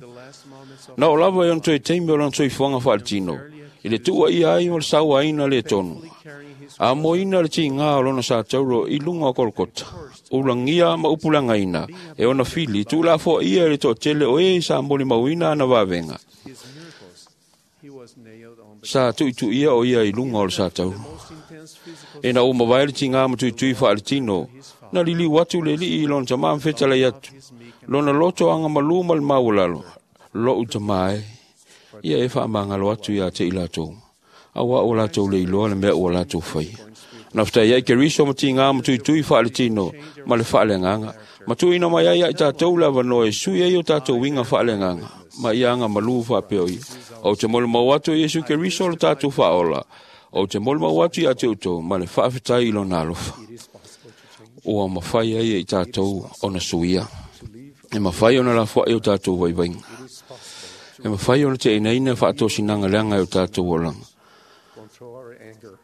Na oo lava i ona toe taimi o lona soifuaga faaletino, i le tuuaia ai o le sauaina le tonu, a moina le tigā o lona satauro i luga o Kolokota, ulagia ma upulagaina e ona fili tuulafoaia i le toatele o e sa molimauina ana vavega. Sa tuituia o ia i luga o le satauro. Ina ua mavae le tigā ma tuitui faaletino, na liliu atu le alii i lona tamā ma fetalai atu, lona loto agamalu ma le maualalo, lo'u tamā e, ia e faamagalo atu iā te i latou, auā ua latou le iloa le mea ua latou faia. Na fetai ai Keriso ma tigā ma tuitui faaletino ma le faaleagaga, ma tuuina mai ai ia i tatou le avanoa e sui ai o tatou uiga faaleagaga, ma ia agamalu faapea o ia. Ou te molimau atu e Iesu Keriso le tatou faaola, ou te molimau atu ia te outou ma le faafetai i lona alofa. Ua mafai ai e i tatou ona suia. E mafai ona lafoai o tatou vaivaiga. E mafai ona te'einaina faatosinaga leaga e o tatou olaga.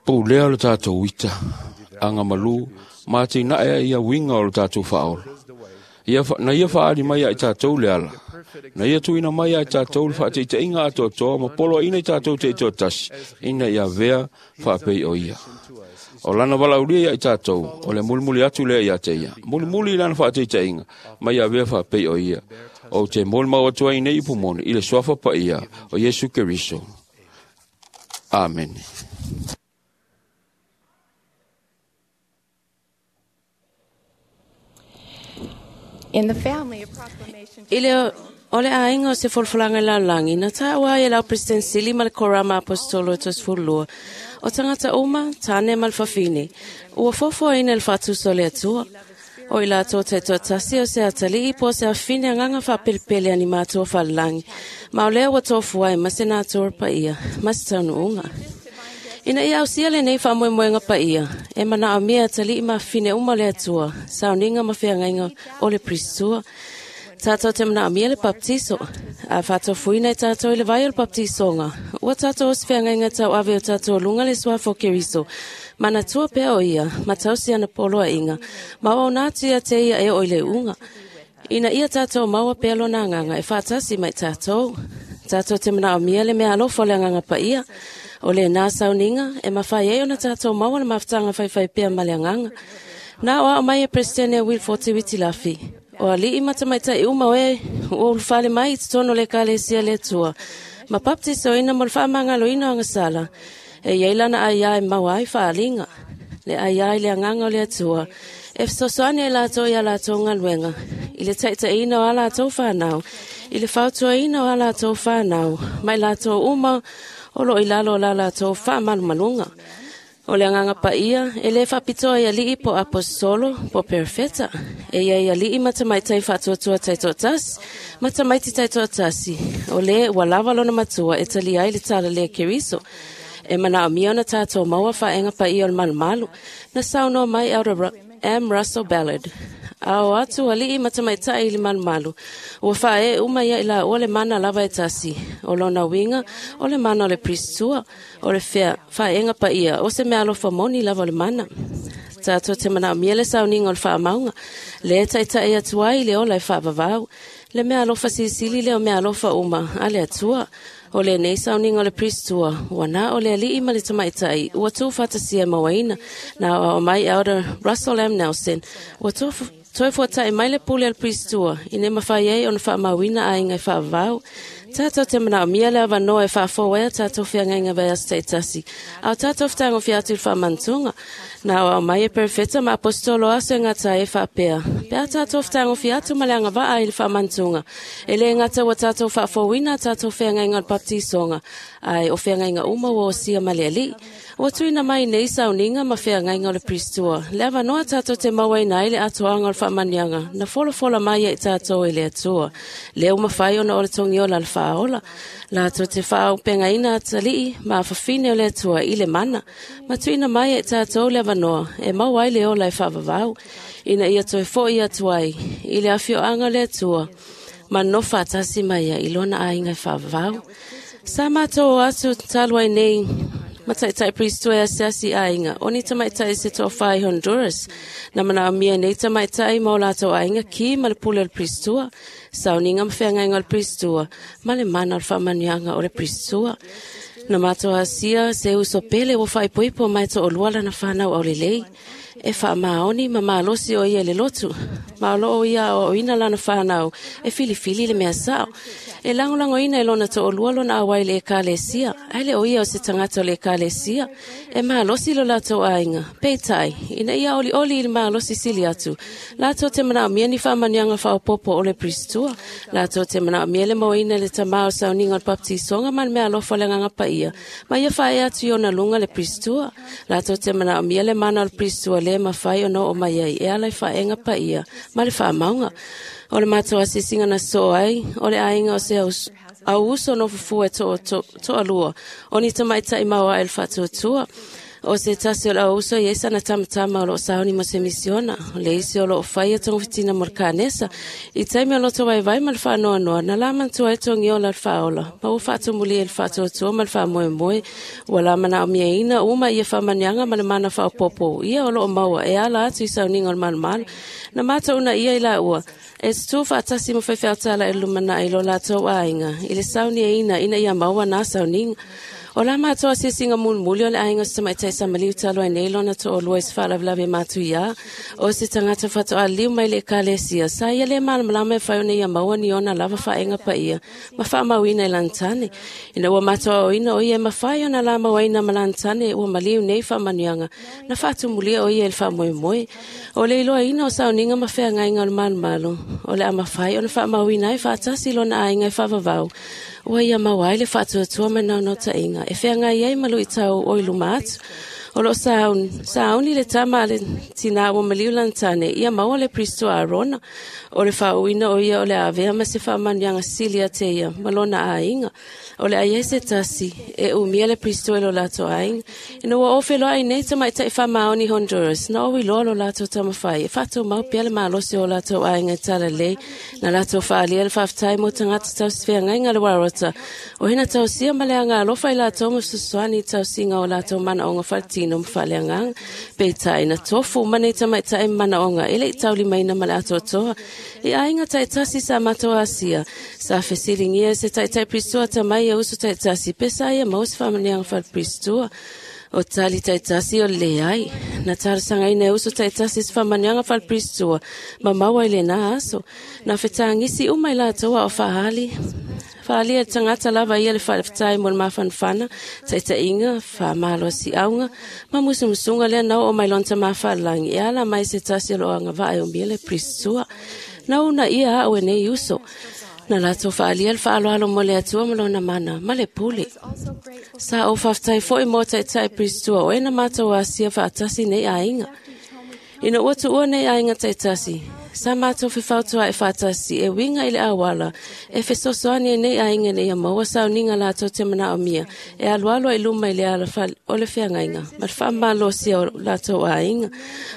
Pulea o le tatou ita, agamalu, ma atinae ai ia uiga o le tatou faaola. Ia, na ia faaali mai ia i tatou le ala. Na ia tuuina mai ia i tatou le faataitaiga atoatoa ma poloaina i tatou teitoatasi, ina ia avea faapei o ia. O lana valaaulia ia i tatou, o le mulimuli atu lea ia te ia. Mulimuli i lana faataitaiga, ma ia avea faapei o ia. Ou te molimau atu ai nei upu moni i le suafa paia o Iesu Keriso. Amene. In the family, a proclamation I le o le aiga o se folafolaga i lalolagi, na taua ai e lau President Sili ma le Korama Apostolo e tosefululua, o tagata uma, tāne ma le fafine, ua foafoaina le faatusa o le Atua. O i latou taitoatasi o se atalii po o se afine agaga faapelepele ani matua falelagi, ma o lea ua tofua ai ma se natura paia, ma se taunuuga. Ina ia ausia lenei faamoemoega paia, e manaomia atalii ma afine uma o le Atua, sauniga ma feagaiga o le Pristua. Tātou te manaomia le baptiso, a faatofuina i tātou i le vai o le baptisoga, ua tātou o se feagaiga tauave o tātou luga le suafa o Keriso, manatua pea o ia, ma tausi ana poloaiga, ma o ona atu ia te ia e oo i le uga. Ina ia tātou maua pea lona agaga e faatasi mai tātou. Tātou te manaomia le mea alofa o le agaga paia, o lenā sauniga e mafai ai ona tātou maua le mafutaga faifai pea ma le agaga. Na o ao mai e Presidente Will Forte Lafi, o alii ma tamaitai uma o e ua ulufale mai i totonu o le Ekalesia le Atua, ma baptisoina mo le faamagaloina o agasala, e iai lana aiā e maua ai faaliga, le aiā i le agaga o le Atua, e fesoasoani ai latou ia latou galuega, i le taitaiina o a latou fanau, i le fautuaina o a latou fanau, ma i latou uma o loo i lalo o la latou faamalumaluga. O le agaga paia, e lē faapitoa i alii po aposetolo po perofeta, e ia i alii ma tamaitai faatuatua taitoatasi, ma tamaiti taitoatasi, o lē ua lava lona matua e talia ai le talalē Keriso. E manaomia ona tatou maua faaega paia o le malumalu, na saunoa mai Elder M. Russell Ballard. A o atu alii ma tamaitai i le malumalu, ua faaee uma ia i laua le mana lava e tasi, o lona uiga, o le mana o le Pristua, o le fea, faaega paia, o se mea alofa moni lava o le mana. Tātou te manaomia le sauniga o le faamauga, le taitai atu ai i le ola e faavavau, le mea alofa silisili lea o mea alofa uma a le Atua. O lenei sauniga o le Pristua, ua na o le alii ma le tamaitai, ua tuufaatasia mauaina, na aoao mai Elder Russell M. Nelson, ua toe fuatai mai le pule a le Pristua, ina mafai ai ona faamauina aiga e faavavau. Tātou te manaomia le avanoa e faafou ai a tātou feagaiga vaiaso taitasi, a o tātou fetagofia atu i le faamanatuga, na aoao mai e perofeta ma apostolo aso e gata ai e faapea, Pe a tātou whatagofi atu ma le angavaa i le whaamantunga. E le ngata wa tātou whaafouina tātou wheangainga o le baptisonga. Ai o wheangainga uma wa o sia ma le ali. Ua tuina mai nei sauninga ma wheangainga o le Pristua. Le avanoa tātou te mauaina ai le atoanga o le whaamanianga. Na folafola mai e tātou e le atua. Leo mawhai ona o le tongiola le whaola. Lātou te whaaupengaina atalii ma whawhine o le atua i le mana. Ma tuina mai e tātou le avanoa e mau ai le ola e whaavavau. Ina ia toe fo i atu ai i le afioanga o le atua. Ma nofa atasi mai ia i lona ainga e whaavavau. Sa mātou atu talu ai nei mataitai Pristo e asiasi ainga. O ni tamaitai se toa whai Honduras. Na mana mia nei tamaitai mau lātou ainga ki ma le pule o le Pristua. Sauninga mwheangainga o le Pristua. Ma le mana o le whaamanianga o le Pristua. Na mātou asia se uso pele o whaipoipo mai to o luala na whanau au lelei. E wha maoni ma malosi o ia le lotu. Ma o loo ia o ina lana whanau e filifili le mea sao. E langolango ina e lona to o lua lona awai le ekalesia. Aile o ia o se tangata o le ekalesia. E malosi lo lato ainga. Peitai, ina ia oli oli i le malosi sili atu. Lato te mana o mia ni whaamanianga whaopopo o le Pristua. Lato te mana o mia le moina le tamao sauninga o le baptisonga ma le mea alofa le nganga paia. Ma ia whae atu i ona lunga le Pristua. Lato te mana o mia le mana o le Pristua le mawhai o no o mai ai e ala i whaenga paia ma le whaamaunga. O le mātou asisinga na so ai, o le ainga o se au uso no fufu e to, to, to alua. O ni tamaitai maua e le whaatuatua. O se tasi o le au uso i esa na tamatama o loo sauni mo se misiona. O le isi o loo whaia tonga fitina mo le kānesa. I taimi o loto vai vai ma le whaanoa noa. Na la mantua e tongi ola le whaola. Ma ua whaatumuli e le whaatuatua ma le whaamoemoe. Ua la mana o mia ina uma ia whamanianga ma le mana whaopopo. Ia o loo maua e ala atu i sauninga o le malumalu. Na mātou una ia i la ua. E tū whaatasi mo whewheautala e lumana i lo lātou ainga. I le sauni e ina ina ia maua nā sauninga. O la mātou asiasinga mulmuli o le ainga o se tamaitai samaliu talo ai nei lona to o lua i se whaalavelawe mātu ia. O se tangata whato a liu mai le ekalesia. Sa ia le malamalama e whai o nei ia maua ni ona lava whaenga pa ia. Ma whaamauina i lantane. Ina ua mātou o ina o ia e mawhai ona la mauaina ma lantane ua maliu nei whaamanianga. Na whaatumulia o ia e le whaamoemoe. O le iloa ina o sauninga ma wheangainga o le malumalu. O le amawhai o na whaamauina e whaatasi lona ainga e whaavavau. Ua ia mauai le whaatuatua mai nau tainga. E wheangai ai malu i tau o i luma atu. O loo sauni, sauni le tama le tina ua maliu lantane. Ia maua le Pristo Arona. O le whaauina o ia o le avea ma se whaamanianga sili a te ia. Malona ainga. O le ai se tasi. E umia le Pristo e lo lato ainga. Ina ua ofe loa ai nei tamaitai whamaoni Honduras. Na o iloa lo lato tamawhai. E whatou mau pia le malosi o lato ainga e tala lei. Na lato whaalia le whaaftai mo tangata tau swheangainga le warota. O hina tau sia ma le anga alofa i lato mo suswani tau singa o lato mana onga whaletino mwhaleanganga. Peitai na tofu mane tamaitai mana onga. Ele i tauli maina ma le atoatoa. I ainga taitasi sa mato asia. Sa fesilingia se taitai Pristua tamai e uso taitasi. Pesa ia maus whamanianga whale Pristua. O tali taitasi o le ai. Na tarasanga ina e uso taitasi se whamanianga whale Pristua. Ma maua i le nā aso. Na whetangisi umai lātoa o whahali. Whaalia e tangata lava ia le whalewhtai mo le mawhanwhana, taitainga, whamalo si aunga, ma musumusunga lea nau o mailonta mawhalangi, e ala mai se tasi o loanga vae o mia le Pristua. Na una ia au e nei uso. Na lato whaalia le whaaloalo mo le atua ma lona mana, ma le pule. Sa o whaftai foi mo taitai Pristua o ena mātou asia whaatasi nei ainga. Ina ua tuua nei ainga taitasi. Sa mātou whiwhautua e whaatasi e winga i le awala. E fesosoani e nei ainga nei a maua sauninga lātou te mana o mia. E alualua i luma i le ala o le whiangainga. Ma le whaamalosia o lātou ainga.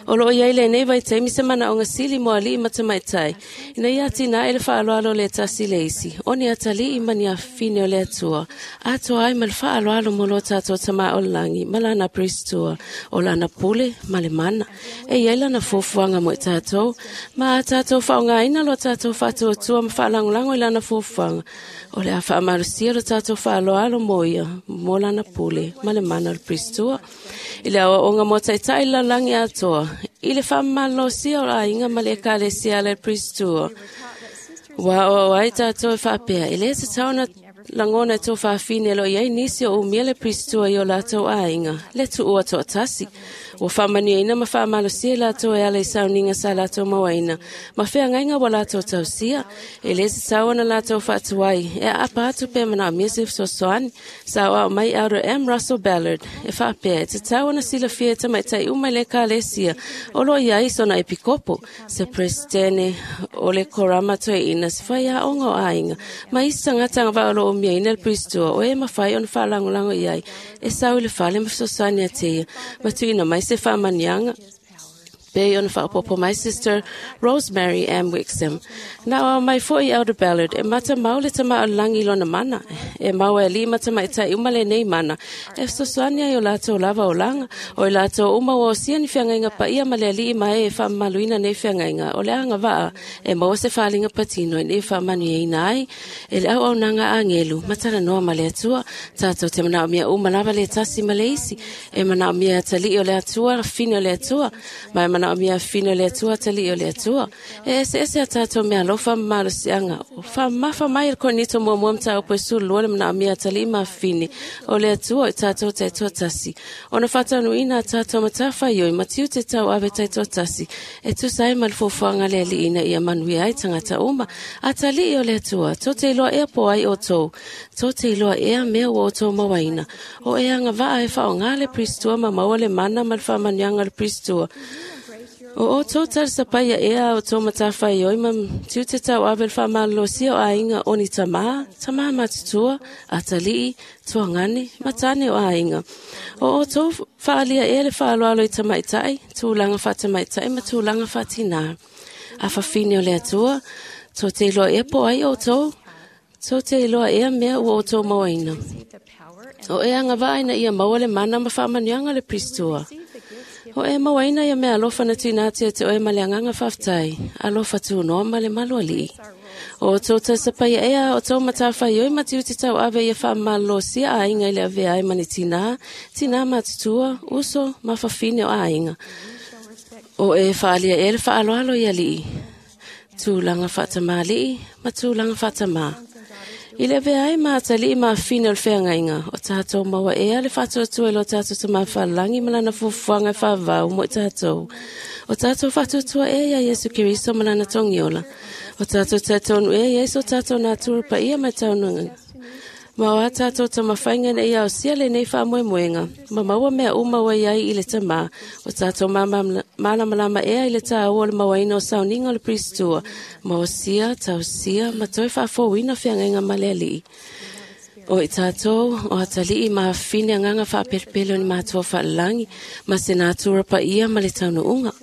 O loo iai le nei vai taimi se mana o ngasili mo alii matamaitai. Ina ia tina e le whaaloalo le tasi le isi. O ni atalii mani a whine o le atua. Atoa ai ma le whaaloalo mo lo tātou tama o langi. Ma lana Pristua. O lana pule ma le mana. E iai lana fuafuaga mo i tātou. Ma a tātou whaongaina lo tātou whaatuatua ma whaalangolango i lana fuafuaga. O le a whaamalusia lo tātou whaaloalo mo ia, mo lana pule, ma le mana o le Pristua. I le awa onga mo taitai lalangi atoa. I le whaamalosia o ainga ma le ekalesia le Pristua. Wa o ai tātou e whaapea. I le te tauna lagona e tofafine lo iai nisi o umia le pristua i o latou aiga, le tuua toatasi. Ua faamanuiaina ma faamalosia i latou e ala i sauniga sa latou mauaina, ma feagaiga ua latou tausia, e lē tatau ona latou faatuai, e aapa atu pe manaomia se fesoasoani. Sa oao mai Elder M. Russell Ballard, e faapea e tatau ona silafia e tamaitai uma i le ekalesia o loo i ai sona epikopo, se presidene o le korama toeaina, se faiaoga o aiga, ma isi tagata agavaa o loo umiaina le pristua o e mafai ona faalagolago i ai, e sau i le fale ma fesoasoani ate ia, ma tuuina mai se faamanuiaga pei ona faaopoopo mai Sister Rosemary M. Wixom. Na oa mai fo'i Elder Ballard e matamau le tamā o le lagi i lona mana. E maua e alii ma tamaitai uma lenei mana. E fesoasoani ai o latou lava olaga, o i latou uma ua osia ni feagaiga paia ma le alii ma e e faamamaluina nei feagaiga o le agavaa e maua se faaaliga patino ina ia faamanuiaina ai e le auaunaga a agelu ma talanoa ma le Atua. Tatou te manaomia uma lava le tasi ma le isi. E manaomia atalii o le Atua, fine o le Atua, ma e manaomia fine o le Atua, atalii o le Atua. E eseese a tatou mea alofa ma malosiaga. O faamamafa mai e le Korinito muamua mataupu e sefululua le manaomia atalii ma fine o le Atua o i tatou taitoatasi. Ona faataunuuina a tatou matafaioi ma tiute tauave taitoatasi e tusa ai ma le fuafuaga a le Alii ina ia manuia ai tagata uma. Atalii o le Atua, tou te iloa ea po ai outou, tou te iloa ea mea ua outou mauaina. O e agavaa e faaaogā le pristua ma maua le mana ma le faamanuiaga o le pristua. O outou talisapaia ea a outou matafaioi ma tiute tauave le faamalolosia o aiga o ni tamā, tamā matutua, atalii, tuagane, ma tane o aiga. O outou faaalia ea le faaaloalo i tamaitai, tulaga faatamaitai ma tulaga faatinā. A fafine o le Atua, tou te iloa ea po ai outou, tou te iloa ea mea ua outou mauaina. O e agavaa ina ia maua le mana ma faamanuiaga o le pristua. O e mauaina ia mea alofa na tuuina atu ia te oe ma le agaga faafetai, alofa tunoa ma le malualii. O outou tausapaia ea a outou matafaioi ma tiute tauave ia faamalolosia aiga i le avea ai ma ni tinā, tinā matutua, uso ma fafine o aiga. O e faaalia ea le faaaloalo i alii, tulaga faatamalii ma tulaga faatamā. I le avea ai ma atalii ma afine o le feagaiga, o tatou maua ea le faatuatua i lo tatou tamā faalagi ma lana fuafuaga e faavavau mo i tatou. O tatou faatuatua ea ia Iesu Keriso ma lana togiola. O tatou talitonu ea ia so tatou natura paia ma taunuuga. Ma o a tatou tamafaiga ina ia ausia lenei faamoemoega, ma maua mea uma ua iai i le tamā. O tatou malamalama ea i le tāua o le mauaina o sauniga o le pristua, ma osia, tausia, ma toe faafouina feagaiga ma le Alii. O i tatou, o atalii ma afine agaga faapelepele o ni matua faalelagi, ma se natura paia ma le taunuuga.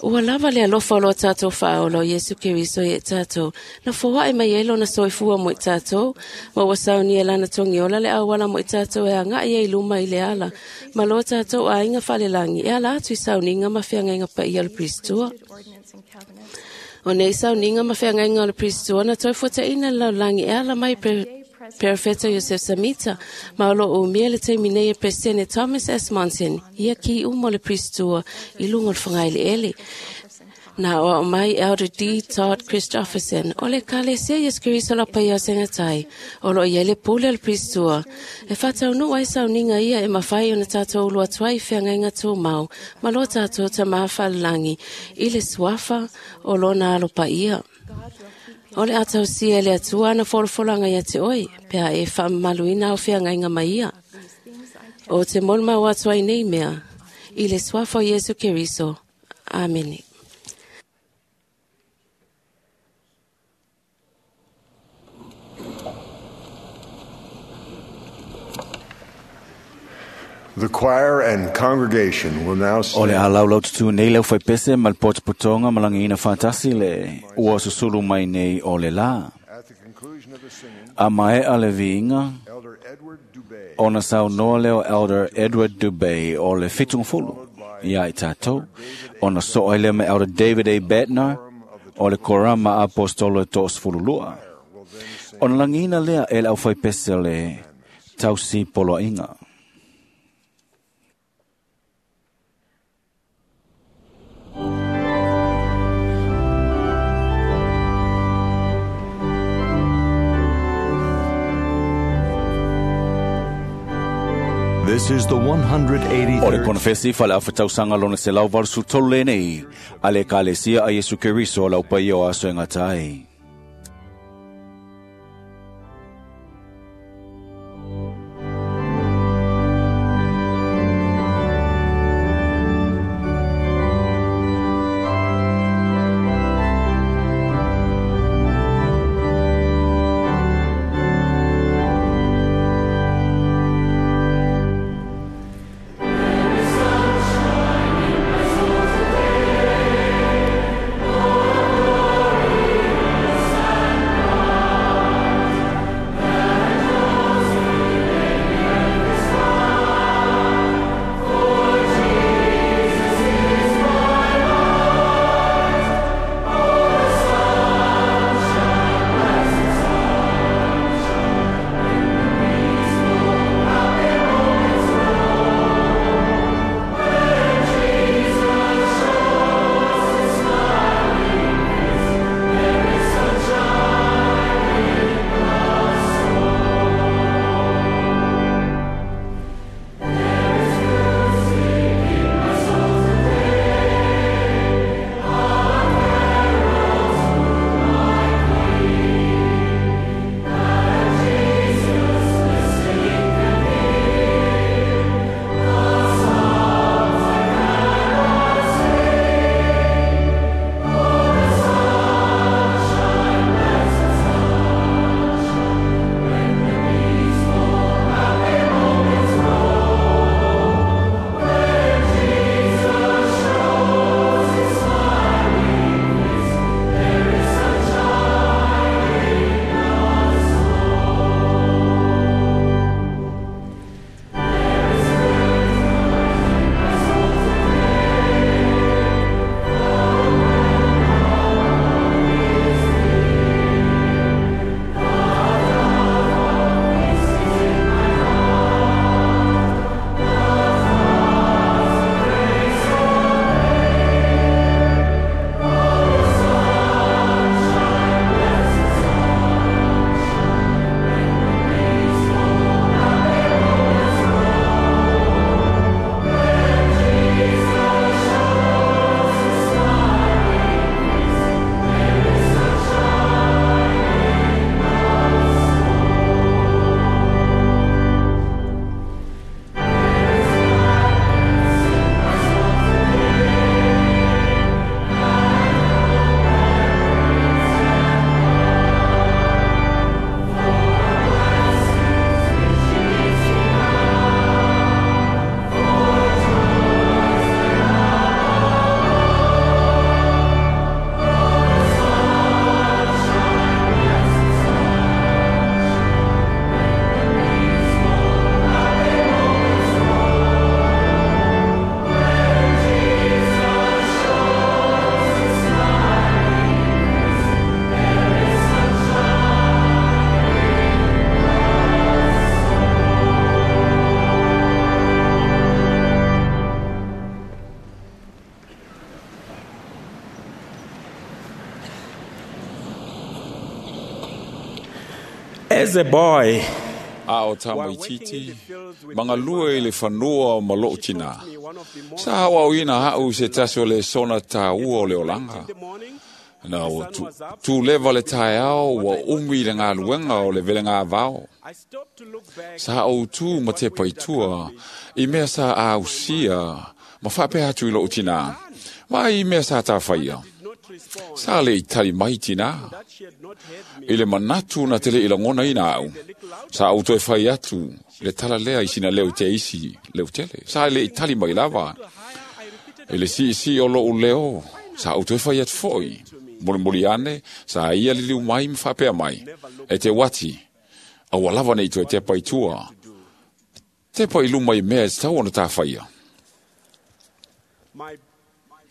Ua lava le alofa o lo tatou faaola o Iesu Keriso ia i tatou, na foaʻi mai ai lona soifua mo i tatou, ma ua saunia e lana togiola le auala mo i tatou e agaʻi ai luma i le ala, ma lo tatou aiga faalelagi e ala atu i sauniga ma feagaiga paia o le pristua. O nei sauniga ma feagaiga o le pristua na toe fuataʻina le lalolagi e ala mai pre Perofeta Iosef Samita, ma o loo umia le taimi nei e Presidente Thomas S. Monson, ia ki uma o le pristua i luga o le fagaeleele. Na oao mai Elder D. Todd Christofferson, o le ekalesia Iesu Keriso lau paia o segatai, o loo iai le pule o le pristua. E faataunuu ai sauniga ia e mafai ona tatou ulu atu ai i feagaiga tumau, ma lo tatou tamā faalelagi, i le suafa o lona alo paia. O le a tausia e le Atua ana folafolaga ia te oe, pe a e faamamaluina au feagaiga ma ia. O te molimau atu ai nei mea, i le suafa o Iesu Keriso. Amene. The choir and congregation will now O le stand. alaulau tutu nei leu faipese ma le potopotoga ma lagiina faatasi le ua susulu mai nei o le lā. At the conclusion of the singing, A maea le viiga, Elder Edward Dubé ona saunoa lea o Elder Edward Dubé o le fitugafulu ia i tatou, ona so'o ai lea ma Elder David A. Bednar o le korama apostolo e to'asefululua. Ona lagiina lea e le aufaipese o le tausi poloaiga. This is the one hundred O le eighty-third konfesi fale afatausaga lona selau valu tolu lenei, a le Ekalesia a Iesu Keriso lau paia o aso e gata ai. As a boy, A o tamaititi, mangalua i le fanua o maloo tina. Sa hawa o ina hau se tasi o le sona tā ua o le olanga. Na o tu, tu leva le taeao ua umi le ngā luenga o le vele ngā vao. Sa o tu ma te paitua, i mea sa a usia, ma whapea atu i loo tina. Mai i mea sa tā whaia. Sa le i tali mai tina. I le manatu na tele i langona ina au. Sa au toe whai atu, le tala lea i sina leo te isi, leo tele. Sa le i tali mai lava. I le si si o loo leo, sa au toe whai atu foi. Moli moli ane, sa ia liliu mai mwhapea mai. E te wati, aua lava nei toe te paitua. Te pai luma i mea e tau ona tā whaia.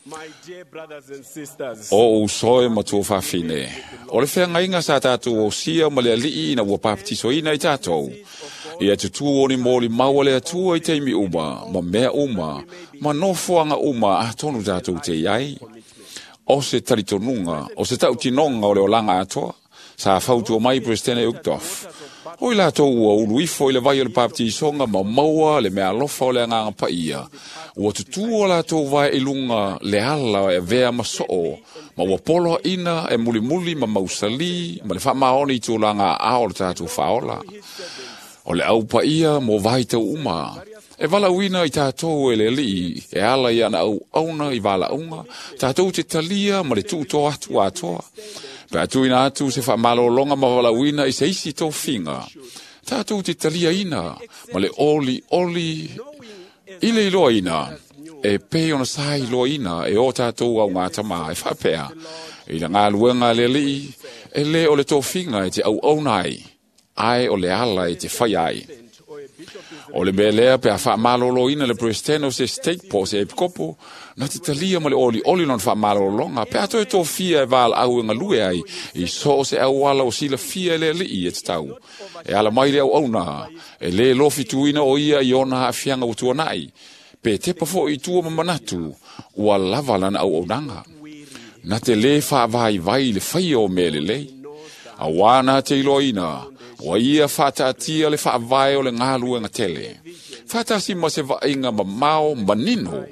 My dear brothers and sisters, O usoe matua whawhine. O le whea ngainga sa tātou o sia ma le alii ina ua papatiso ina i tātou. Ia tutu o ni mōli maua le atua i teimi uma, ma mea uma, ma nofoanga uma a tonu tātou te iai. O se taritonunga, o se tautinonga o le olanga atoa, sa fautua mai Presidente Uchtdorf. O i latou ua ulu ifo i le vai o le baptisonga ma maua le mea alofa o le agaga paia. Ua tutu o latou vae i luga le ala e avea ma soo, ma ua poloaina e mulimuli ma mausali ma le faamaoni i tulaga aao o le tatou faaola. O le aupaia mo vaitau uma. E valauina i tatou e le alii e ala i ana auauna i valaauga, tatou te talia ma le tuutoa atu atoa. Pe atuina atu se faamalologa ma valauina i se isi tofiga, tatou te taliaina ma le olioli i le iloaina, e pei ona sa iloaina e o tatou augatama e faapea, i le galuega a le alii, e le o le tofiga e te auauna ai, ae o le ala e te fai ai. O le mea lea pe a faamaloloina le president o se state po o se epikopo, na te talia ma le olioli lona faamalologa, pe a toe tofia e valaau e galue ai, i so o se auala o silafia e le alii e tatau. E ala mai le auauna, e le lofituina o ia i ona aafiaga ua tuanai, pe tepa fo'i i tua ma manatu, ua lava lana auaunaga. Na te lē faavaivai i le faia o mea lelei. Auā na te iloaina, ua ia faataatia le faavae o le galuega tele. Faatasi ma se vaaiga mamao manino,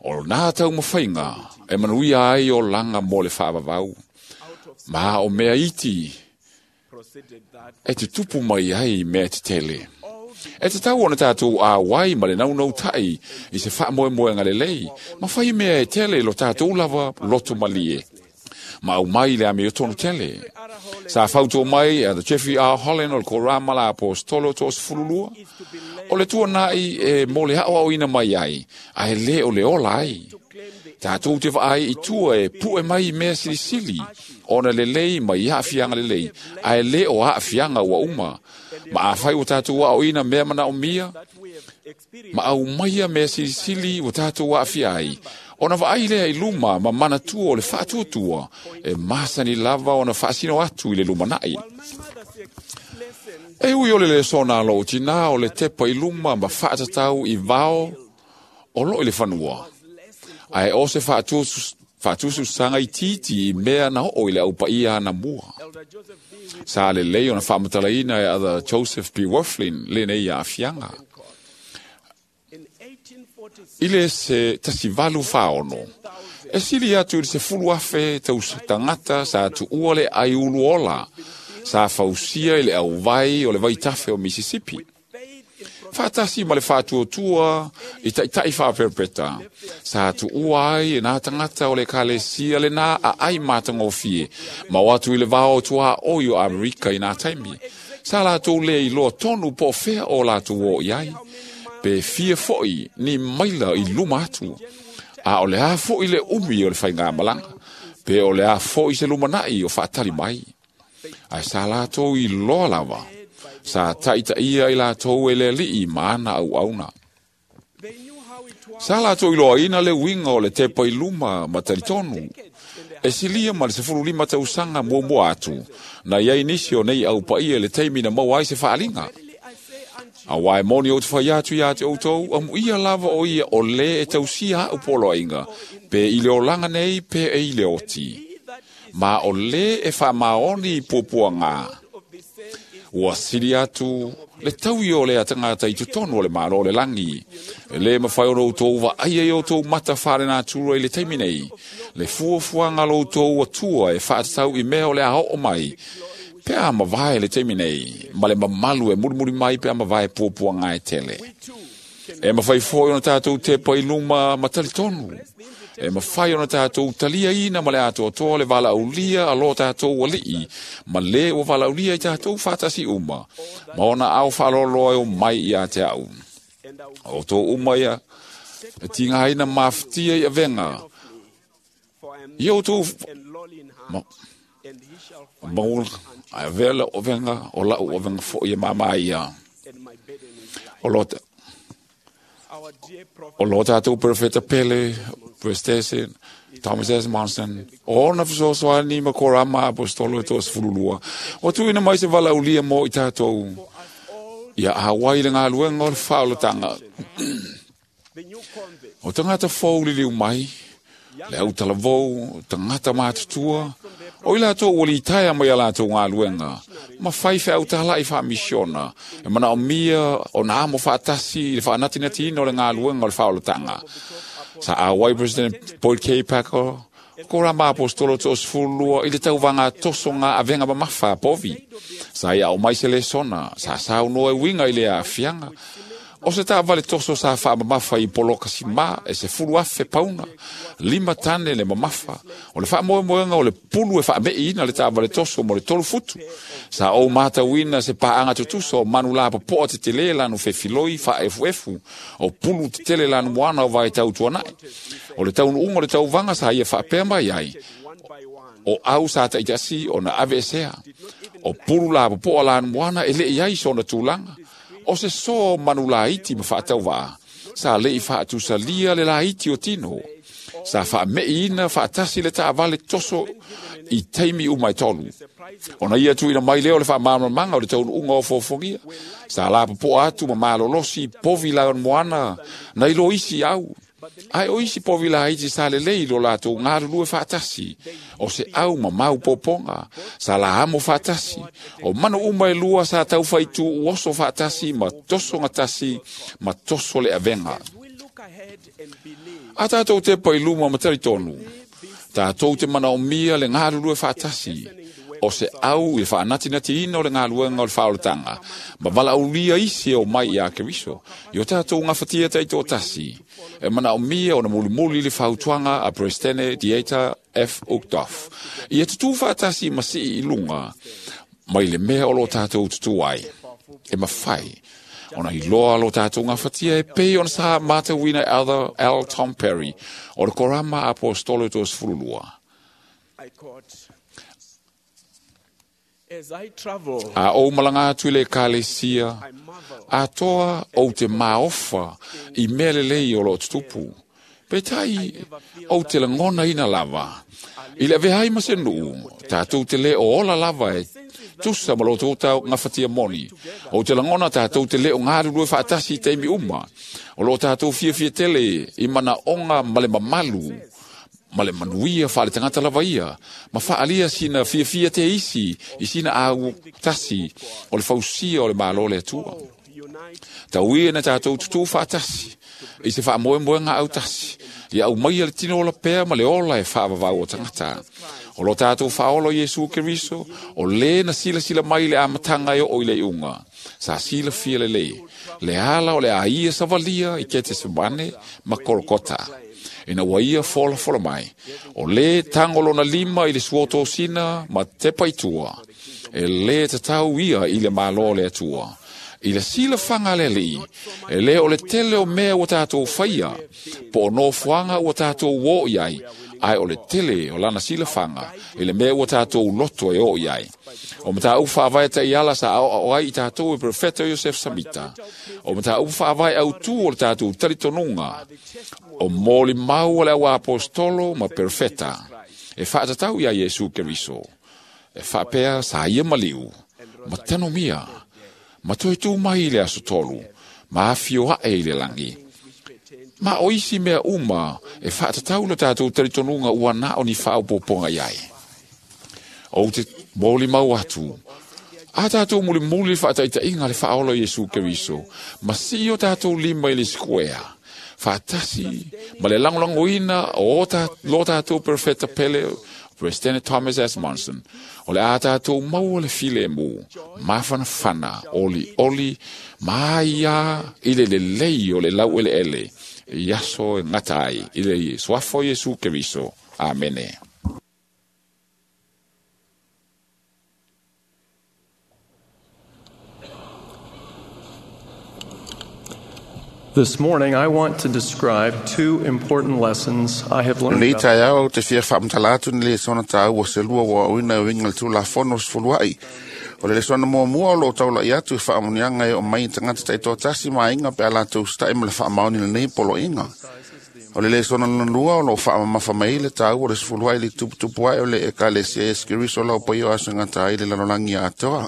o nā taumafaiga e manuia ai olaga mo le faavavau. Ma o mea iti e tutupu mai ai mea tetele. E tatau ona tatou auai ma le naunautai i se faamoemoega lelei, ma fai mea e tele lo tatou lava loto malie. Ma aumai le amiotonu tele. Sa fautua mai a the Jeffrey R. Holland o le Korama la Apostolo toasefululua, o le tuanai e mo le aoaoina mai ai, ae le o le ola ai. Tatou te vaai i tua e pue mai mea silisili, ona lelei mai aafiaga lelei, ae le o aafiaga ua uma. Ma afai ua tatou aoaoina mea manaomia, ma aumaia mea silisili ua tatou aafia ai, ona vaai lea i luma ma manatua o le faatuatua, e masani lava ona faasino atu i le lumanai. E ui o le lesona a lou tinā o le tepa i luma ma faatatau i vao o loo i le fanua, ae o se faatususaga itiiti i mea na oo i le aupaia anamua. Sa lelei ona faamatalaina e Other Joseph B. Wirthlin lenei aafiaga. I le se tasivalu faono, e sili atu i le sefulu afe tagata sa tuua le aiulu ola, sa fausia i le auvai o le vaitafe o Mississippi. Faatasi ma le faatuatua i taitai faaperepeta, sa tuua ai e nā tagata o le ekalesia lenā aai matagofie, ma o atu i le vao tuaoi o Amerika i nā taimi. Sa latou le iloa tonu po o fea o latou o i ai, pe fia fo'i ni maila i luma atu, a o le a fo'i le umi o le faigamalaga, pe o le a fo'i se lumanai o faatali mai. Ae sa latou iloa lava, sa taitaia i latou e le alii ma ana auauna. Sa latou iloaina le uiga o le tepa i luma ma talitonu, e silia ma le sefululima tausaga muamua atu, na iai nisi o nei aupaia i le taimi na maua ai se faaliga. Auā e moni ou te fai atu iā te outou, amuia lava o ia o lē e tausia aʻu poloaiga, pe i le olaga nei pe e i le oti. Ma o lē e faamaoni i puapuagā. Ua sili atu le taui o lea tagata i totonu o le Malo o le lagi. E lē mafai ona outou vaaia i outou mata faalenatura i le taimi nei, le fuafuaga a lo outou Atua e faatatau i mea o le a oo mai, pe a mavae le taimi nei, ma le mamalu e mulimuli mai pe a mavae puapuaga e tele. E mafai fo'i ona tatou tepa i luma ma talitonu. E mafai ona tatou taliaina ma le atoatoa le valaaulia a lo tatou alii, ma lē ua valaaulia i tatou faatasi uma, ma ona ao faaloloa e o mai iā te a'u. O outou uma ia, e tigaina mafatia i avega, ia outou ma, maua, ae avea lau avega, o la'u avega fo'i e māmā ia. O lo O lo tatou perofeta pele, President Thomas S. Monson, o ona fesoasoani ma Korama Apostolo e toasefululua, ua tuuina mai se valaaulia mo i tatou, ia auai le galuega o le faaolataga. O tagata fou liliu mai, le autalavou, tagata matutua, O i lātou ua litaea mai a lātou galuega, ma fai feautala'i faamisiona, e manaomia ona amo faatasi i le faanatinatiina o le galuega o le faaolataga. Sa auai President Boyd K. Packer, ko rama apostolo to'asefululua i le tauvaga tosoga avega mamafa a povi. Sa ia o mai se lesona, sa saunoa e uiga i le aafiaga. O se taavale toso sa faamamafa i poloka simā e se fulu afe pauna, lima tane le mamafa. O le faamoemoega o le pulu e faame'iina le taavale toso mo le tolu futu. Sa ou matauina se paaga tutusa o manu lapopoa tetelē lanu fefiloi faaefuefu, o pulu tetele lanu moana o vaetautuana'i. O le taunuuga o le tauvaga sa ia faapea mai ai, o au sa taʻitaʻasi ona ave esea. O pulu lapopoa lanu moana e leʻi ai sona tulaga. O se soa o manu laiti ma faatauvaa, sa leʻi faatusalia le laiti o tino. Sa faameʻiina faatasi le taavale toso i taimi uma e tolu. Ona ia tuuina mai lea o le faamalamalamaga o le taunuuga o fofogia. Sa lapopoa atu ma malolosi povi lamoana nai lo isi au. Ae o isi povi laiti sa lelei lo latou galulue faatasi. O se au ma mau popoga, sa laamo faatasi. O manu uma e lua sa taufaitu uoso faatasi ma tosoga tasi ma toso le avega. A tatou tepa i luma ma talitonu, tatou te manaomia le galulue faatasi. O se au i le faanatinatiina o le galuega o le faaolataga, ma valaaulia isi e o mai iā Keriso, i o tatou gafatia taitoatasi. E manaomia ona mulimuli le fautuaga a Presidente Dieter F. Uchtdorf, ia tutū faatasi ma sii i luga, mai le mea o lo tatou tutū ai. E mafai ona iloa lo tatou gafatia e pei ona sa matauina e Elder L. Tom Perry o le Korama Apostolo toasefululua. A ou malaga atu i le ekalesia, atoa ou te maofa i mea lelei o loo tutupu. Peitai, ou te lagonaina lava. I le aveai ma se nuu, tatou te lē o ola lava e tusa ma lo tou tau gafatia moni. Ou te lagona tatou te lē o galulue faatasi i taimi uma. O loo tatou fiafia tele i manaoga ma le mamalu, ma le manuia faale tagata lava ia, ma faaalia sina fiafia te isi i sina au tasi o le fausia o le Malo le Atua. Tauia na tatou tutū faatasi i se faamoemoega autasi, ia aumaia le tino ola pea ma le ola e faavavau o tagata. O lo tatou faaola o Iesu Keriso, o lē na silasila mai le amataga e oo i le iuga. Sa silafia lelei, le ala o le aia savalia i Ketesemane ma Kolokota. Ina ua ia folafola mai, o lē tago lona lima i le suotosina ma tepa i tua, e lē tatau ia i le Malo o le Atua. I le silafaga a le Alii, e lē o le tele o mea ua tatou faia, po o nofoaga ua tatou o i ai, ae o le tele o lana silafaga i le mea ua tatou loto e oo i ai. O mataupu faavae taiala sa aoao ai i tatou e Profeta Iosef Samita. O mataupu faavae autū o le tatou talitonuga, o molimau a le au apostolo ma Profeta, e faatatau iā Iesu Keriso. E faapea sa ia maliu, ma tanomia, ma toe tū mai i le aso tolu, ma afio aʻe i le lagi. Ma o isi mea uma e faatatau le tatou talitonuga ua na o ni faaopopoga i ai. Ou te molimau atu, a tatou mulimuli le faataitaiga le faaola o Iesu Keriso, ma sii o tatou lima i le sikuea, faatasi ma le lagolagoina o ta, lo tatou Profeta pele President Thomas S. Monson, o le a tatou maua le filemu, mafanafana, oli oli, ma ia i le lelei o le laueleele, i aso e gata ai, i le suafa o Iesu Keriso. Amene. This morning, I want to describe two important lessons I have learned. Nei taeao ou te fia faamatala atu ni lesona tāua se lua ua aoina e uiga i le Tulafono sefuluaʻi. O le lesona muamua o loo taulaʻi atu e faamuniaga e oo mai i tagata taitoatasi ma aiga pe a latou sitaʻi ma le faamaoni lenei poloaiga. O le lesona lona lua o loo faamamafa mai le tāua o le sefuluaʻi le tuputupu ae o le Ekalesia Iesu Keriso lau paia o aso e gata ai le lalolagi atoa.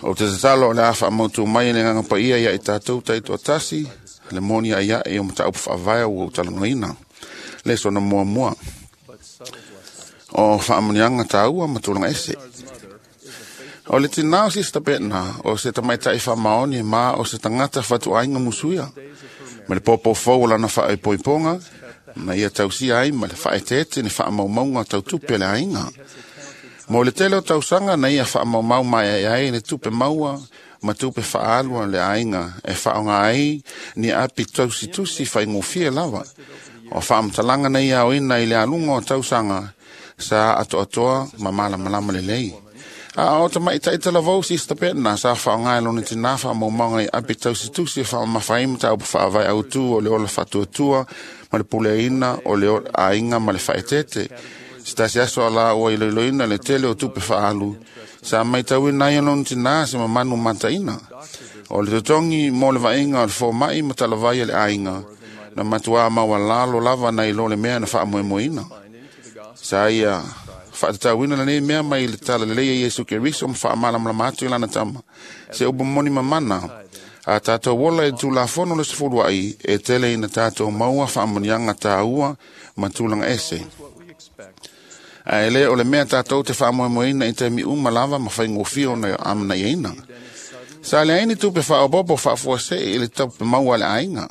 O te tatalo o le a faamautu mai e le Agaga Paia ia i tatou taitoatasi, le moni ai ae o mataupu faavae ua ou talanoaina. Lesona muamua. O whaamunianga tāua ma tūlanga ese. O le tinā o Sista Petna, o se tamaitai whaamaoni ma o se tangata whatuainga musuia. Ma le pōpō fau o lana whaaipoiponga, na ia tausia ai ma le whaetete ni whaamaumaunga tau tupe le ainga. Mo le tele o tausanga na ia whaamaumau mai ai ai le tupe maua ma tupe whaalua le ainga e whaonga ai ni api tausitusi whaingofie lava. O whaamtalanga na ia oina i le alunga o tausanga sa atoatoa ma malamalama lelei. A o tamaitaita lavou Sista Petna sa whaonga e lona tina whaamaumaunga i api tausitusi whaamawhaimata au whaavai autu o le ola whatuatua ma le puleina o le ainga ma le whaetete. Se tasi aso ala ua iloiloina le tele o tupe whaalu, sa maitauina ai lona tina se mamanu mataina. O le totongi mo le vainga o le fōmai ma talavai le ainga, na matua maualalo lava na ilo le mea na whaamoemoeina. Sa ia whaatatauina la nei mea mai le tala lelei e Iesu Keriso ma whaamalamalama atu i lana tama. Se upu moni mamana, a tātou wola e tūlafono le sefulu ai, e tele ina tātou maua whaamonianga tāua ma tūlanga ese. A ele o le mea tātou te whaamoemoeina i te mi uma lava ma whaingofio na amana iaina. Sa le aini tupe whaopopo whaafuase i le taupe maua le ainga.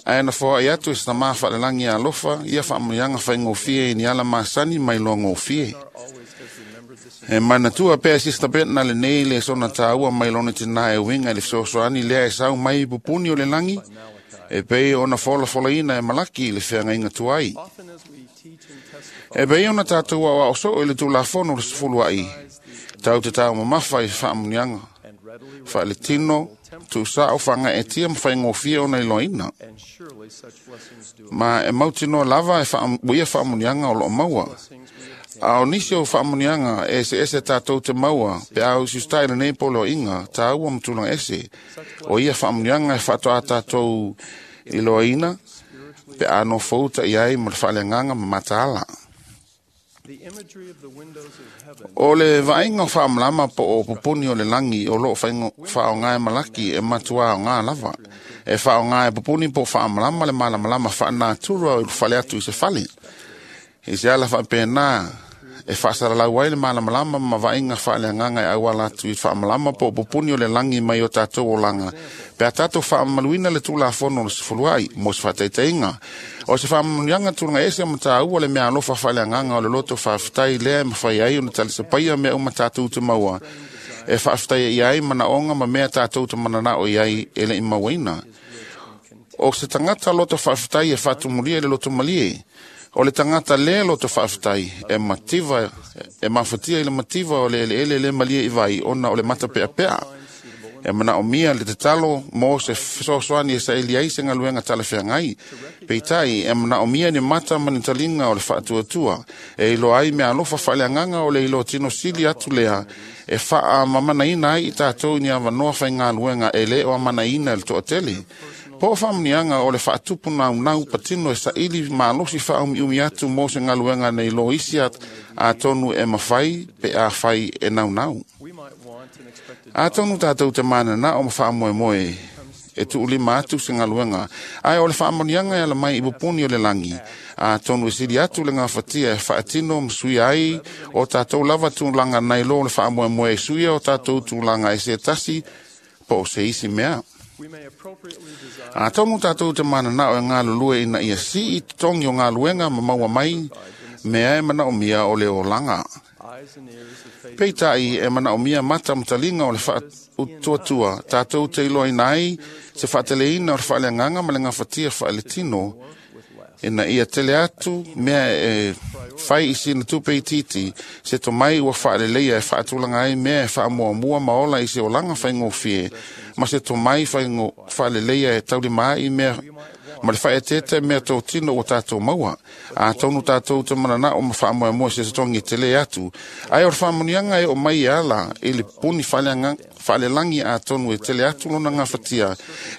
Ae na foa i atu e sina maa whaalelangi a alofa, ia whaamunianga whaingofie i ni ala masani mai loa ngofie. E manatua pea Sista Petna le nei le sona tāua mai lona tina e winga i le fesoasoani lea e sau mai pupuni o le langi, e pei ona fola folaina e malaki i le feagainga tuai. E pei ona tātou au ao soo i le tūlafono le sefulu ai, tau te tau mamafa i whaamunianga, whaale tino, tū sao whanga e tia mwhaingofia ona iloina. Ma e mautinoa lava e wha, ia whaamunianga o loo maua. A o nisi o whaamunianga e se ese tātou te maua, pe au sustai le nei polo inga, tāua matulanga ese. O ia whaamunianga e whaatoa tātou iloina, pe ano fouta iai mo le whaaleanganga ma mataala. O le vainga o whaamalama po o pupuni o le langi o loo whaongae malaki e matua o ngā lava. E whaongae pupuni po whaamalama le malamalama whaanatura o whale atu i se whale. I se ala whaapena e whaasaralau ai le malamalama ma vainga whaaleanganga e auala atu i whaamalama po o pupuni o le langi mai o tātou o langa. Pe a tātou whaamaluina le tūlafono o le sefuluai, mo se whaataiteinga. O se whaamanuianga tūlanga ese ma tāua le mea alofa whaaleanganga o le loto whaaftai lea e mawhai ai o na talisapaia mea uma tātou te maua. E whaaftai i ai manaonga ma mea tātou te mananao i ai e le imauaina. O se tangata loto whaaftai e whaatumulia i le loto malie. O le tangata le loto whaaftai e mativa, e mafatia i le mativa o le ele ele le malie i vai ona o le matapea pea. E mana o mia le tatalo mo se fesoasoani e saili ai se galuega talafeagai. Peitai e mana o mia ni mata ma ni talinga o le faatuatua. E iloa ai mea alofa faaleagaga o le iloa tino sili atu lea e faamamanaina ai i tatou ni avanoa faigaluega e lē o amanaina i le toatele. Po o faamuniaga o le faatupu naunau patino e saili malosi faaumiumi atu mo se galuega nei lo isi atonu e mafai pe a fai e naunau. Atonu tātou te manana o ma whaamoemoe e tuulima atu se galuega. Ae o le faamoniaga e ala mai i pupuni o le langi. Atonu e sili atu le gafatia e faatino ma suia ai o tātou lava tulaga nai lo le faamoemoe e suia o tātou tulaga e se tasi po o se isi mea. Atonu tātou te manana o e ngalulue ina ia si i totongi o galuega ma maua mai mea e manaomia o le olaga. Peitai e manaomia mata matalinga o le faatuatua, tātou te iloaina ai se faateleina o le faaleagaga ma le gafatia faaletino, ina ia tele atu mea e fai i sina tupe itiiti, se tomai ua faaleleia e faatulaga ai mea e faamuamua ma ola i se olaga faigofie, ma se tomai faaleleia e taulima ai mea ma le whaetete mea tō tino o tātou maua. A tonu tātou te manana o ma whaamoemoe se tongi te le atu. Ai o whaamunianga e o mai ala i le puni whaalelangi a tonu e tele atu lona ngā whatia.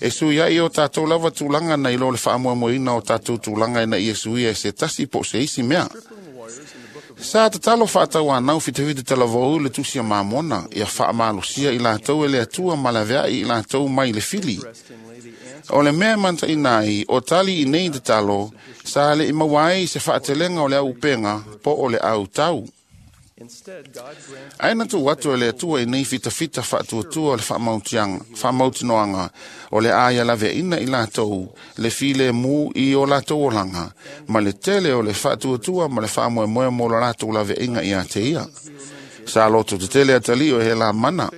E sui ai o tātou lava tūlanga nei lo le whaamoemoeina o tātou tūlanga ina i e suia e se tasi po se isi mea. Sa tatalo whaatau anau whitewhite te lavou le tusia mamona ia whaamalosia i lātou e le atua malaveai i lātou mai le fili. O le mea mantaina ai, o tali i nei tatalo, sa le i maua ai se faatelega o le au upenga po o le au tau. Ae na tuu atu e le Atua i nei fitafita faatuatua o le faamautinoaga o le a ia laveaina i latou le filemu i o latou olaga, ma le tele o le faatuatua ma le faamoemoe mo lo latou laveaiga ia te ia. Sa loto tetele atalii o e he lamana,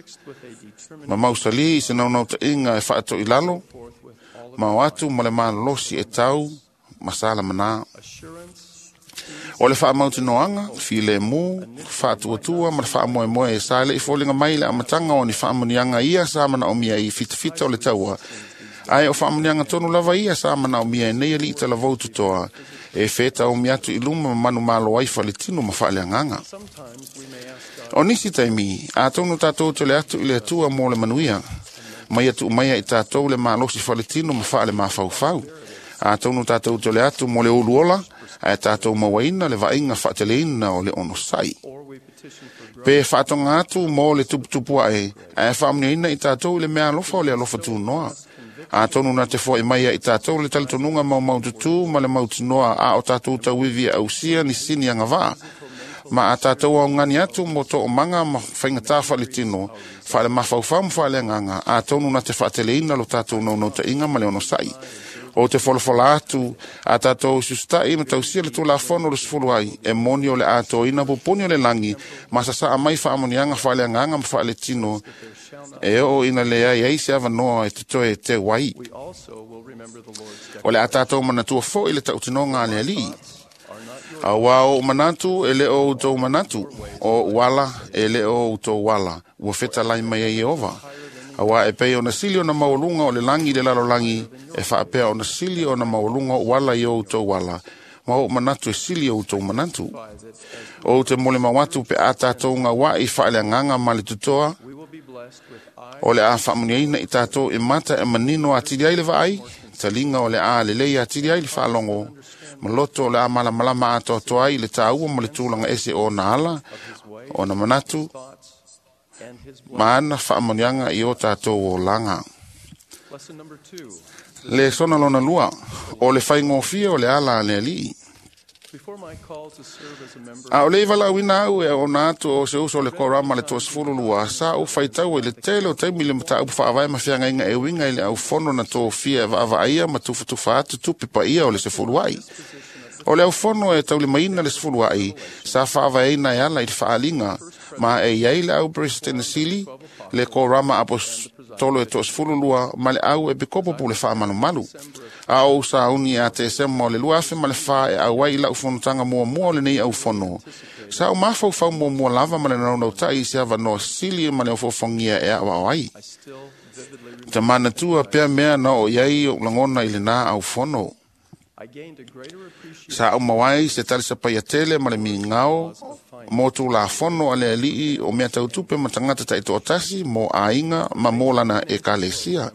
ma mausali i se naunautaiga e faatoilalo, ma o atu ma le malolosi e tau ma sa lamanā. O le faamautinoaga, filemu, faatuatua ma le faamoemoe sa le i foliga mai le amataga o ni faamuniaga ia sa manaomia i fitafita o le taua, ae o faamuniaga tonu lava ia sa manaomia e nei alii talavou totoa, e fetaomi atu i luma ma manumalo ai faletino ma faaleagaga. O nisi taimi, atonu tatou tole atu i le Atua mo le manuia, mai atu mai ai tatou le malosi faletino ma faale mafaufau. Atonu tatou tole atu mo le uluola, ae tatou mauaina le vaaiga faateleina o le onosai. Pe faatoga atu mo le tuputupu ae, ae faamuniaina i tatou i le mea alofa o le alofa tunoa. Atonu na te foai mai ai tatou le talitonuga maumaututu ma le mautinoa a o tatou tauivi e ausia ni sini agavaa. Ma a tatou augani atu mo toomaga ma faigata faaletino, faalemafaufau ma faaleagaga, atonu na te faateleina lo tatou naunautaiga ma le onosai. O te folafola atu a tatou susita'i ma tausia le tulafono le sefulu ai, e moni o le atoina pupuni o le lagi, ma sasaa mai faamanuiaga faaleagaga ma faaletino, e oo ina leai ai se avanoa e totoe e teu ai. O le a tatou manatua foi le tautinoga a le Alii. Auā o ou manatu e le o outou manatu, o ou ala e le o outou ala, ua fetalai mai ai Ieova. Auā e pei ona sili ona maualuga o le lagi i le lalolagi, e faapea ona sili ona maualuga o ou ala i o outou ala, ma ou manatu e sili o outou manatu. O ou te molimau atu pe a tatou gaua'i faaleagaga ma le totoa, o le a faamuniaina i tatou e mata e manino atili ai le vaai, taliga o le a lelei atili ai le faalogo, ma loto o le a malamalama atoatoa ai le tāua ma le tulaga ese o ona ala, ona manatu, ma ana faamanuiaga i o tatou olaga. Le sona lona lua, o le faigofie o le ala a le Alii. A o le ivalauina au e ona atu o se uso o le korama le toasefulu lua, sa ou faitau i le tele o taimi le mataupu faavae ma feagaiga e uiga i le aufono na tofia e vaavaaia ma tufatufa atu tupe paia o le sefulu ai. O le aufono e taulimaina le sefulu ai, sa faavaeina e ala i le faaliga, ma e iai le au President Sili, le korama apostolo e toasefulu lua, ma le au e pikopo le faamalumalu. A o sauni a te sema o le lua afe ma le wha e auai i lau fonotanga muamua o lenei au fono. Sa o mafaufau muamua lava ma le naunautai i se avanoa sili ma le ofofongia e ao ai. Ta manatua pea mea na o iai o langona i le nā au fono. Sa au mawai se talisapai tele ma le mingao mo tulafono a le alii o mea tautupe ma tangata taitoatasi mo aiga ma mo lana ekalesia.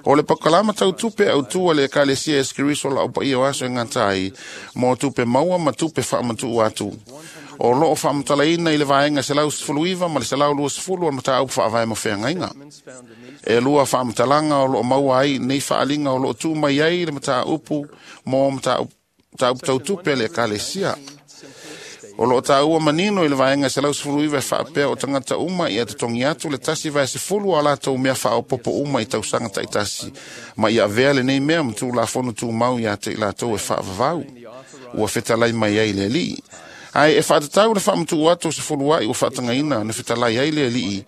O le pakalama tautupe au tua le ekalesia e skiriso la o paia o aso e ngatai mo tupe maua ma tupe faamatuu atu. O loo faamatalaina i le vaega selau sefulu iva ma le selau lua sefulu o le mataupu faavae ma feagaiga. E lua faamatalaga o loo maua ai nei faaliga o loo tuu mai ai le mataupu mo mataupu tautupe a le ekalesia. O loo tāua manino i le vaega selau sefulu iva e faapea o tagata uma ia totogi atu le tasi vae sefulu o latou mea faaopopo uma i tausaga taitasi, ma ia avea lenei mea ma tulafono tumau ia te i latou e faavavau. Ua fetalai mai ai le Alii. Ae e faatatau le faamatuu atu o sefulu ai ua faatagaina na fetalai ai le Alii,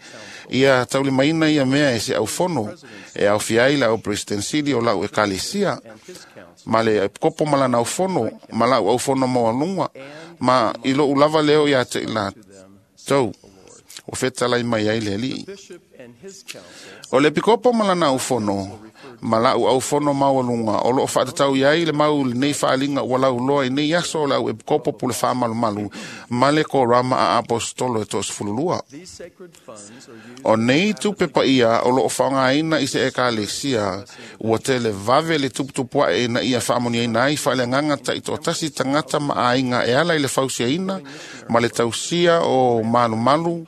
ia taulimaina ia mea e se aufono, e aofia ai le au President Sili o lau ekalesia, ma le kopo ma lana aufono, ma lau aufono maualuga, ma i lou lava leo ia te i latou, ua fetalai mai ai le Alii. O le pikopo ma lana aufono, ma lau aufono maualuga, o loo faatatau iai le mau lenei faaliga ua lauloa i nei aso o le au epikopo pule faamalumalu, ma le korama a apostolo e toasefulu lua. O nei tupe paia o loo faaaogaina i se ekalesia, ua tele vave le tuputupu ae ina ia faamanuiaina ai faaleagaga taitoatasi tagata ma aiga e ala i le fausiaina ma le tausia o malumalu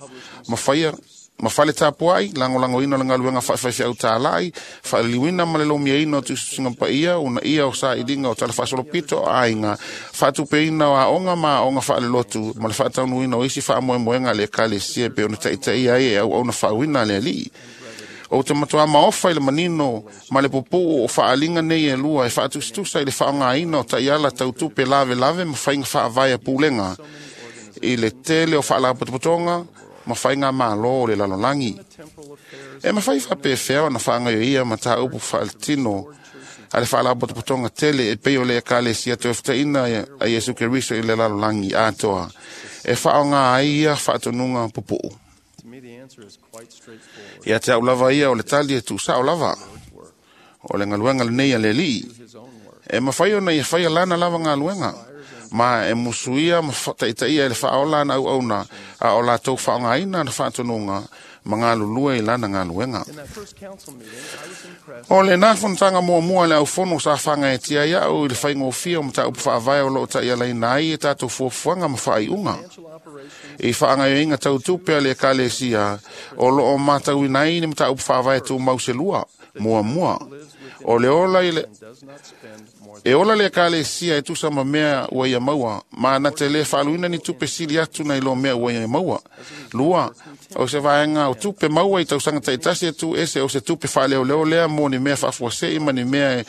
ma faia Ma fale tapuai, lagolagoina o le galuega faafaifeau talai, faaliliuina ma le lomiaina o tusitusiga paia, uunaia o sailiga o talafaasolopito o aiga, faatupeina o aoga ma aoga faalelotu, ma le faataunuina o isi faamoemoega a le Ekalesia e pei ona taitaia ai e auauna faauuina a le Alii. Ou te matuā maofa i le manino ma le pupuu o faaaliga nei e lua e faatusatusa i le faaaogaina o taiala tautupe lavelave ma faiga faavae a pulega i le tele o faalapotopotoga ma faiga malo o le lalolagi. E mafai faapefea ona faagaioia mataupu faaletino a le faalapotopotoga tele e pei o le Ekalesia Toefutaina a Iesu Keriso i le lalolagi atoa e faaaoga ai ia faatonuga pupuu. Ia te au lava ia o le tali e tuusao lava. O le galuega lenei a le Alii. E mafai ona ia faia lana lava galuega, ma e musuia ma taitaia i le faaola ana auauna, a o latou faaaogaina ana faatonuga ma galulue i lana galuega. O lena fonotaga muamua a le aufono sa fagaetia ai au i le faigofie o mataupu faavae o loo taialaina ai e tatou fuafuaga ma faaiuga. I faagaoioiga tautupe a le Ekalesia o loo matauina ai ni mataupu faavae tumau se lua. Muamua, o le ola i le E ola le Ekalesia e tusa ma mea ua ia maua, ma na te le faaluina ni tupe sili atu nai lo mea ua ia maua. Lua, o se vaega o tupe maua i tausaga taitasi e tu ese o se tupe faaleoleo lea mo ni mea faafuasei ma ni mea e,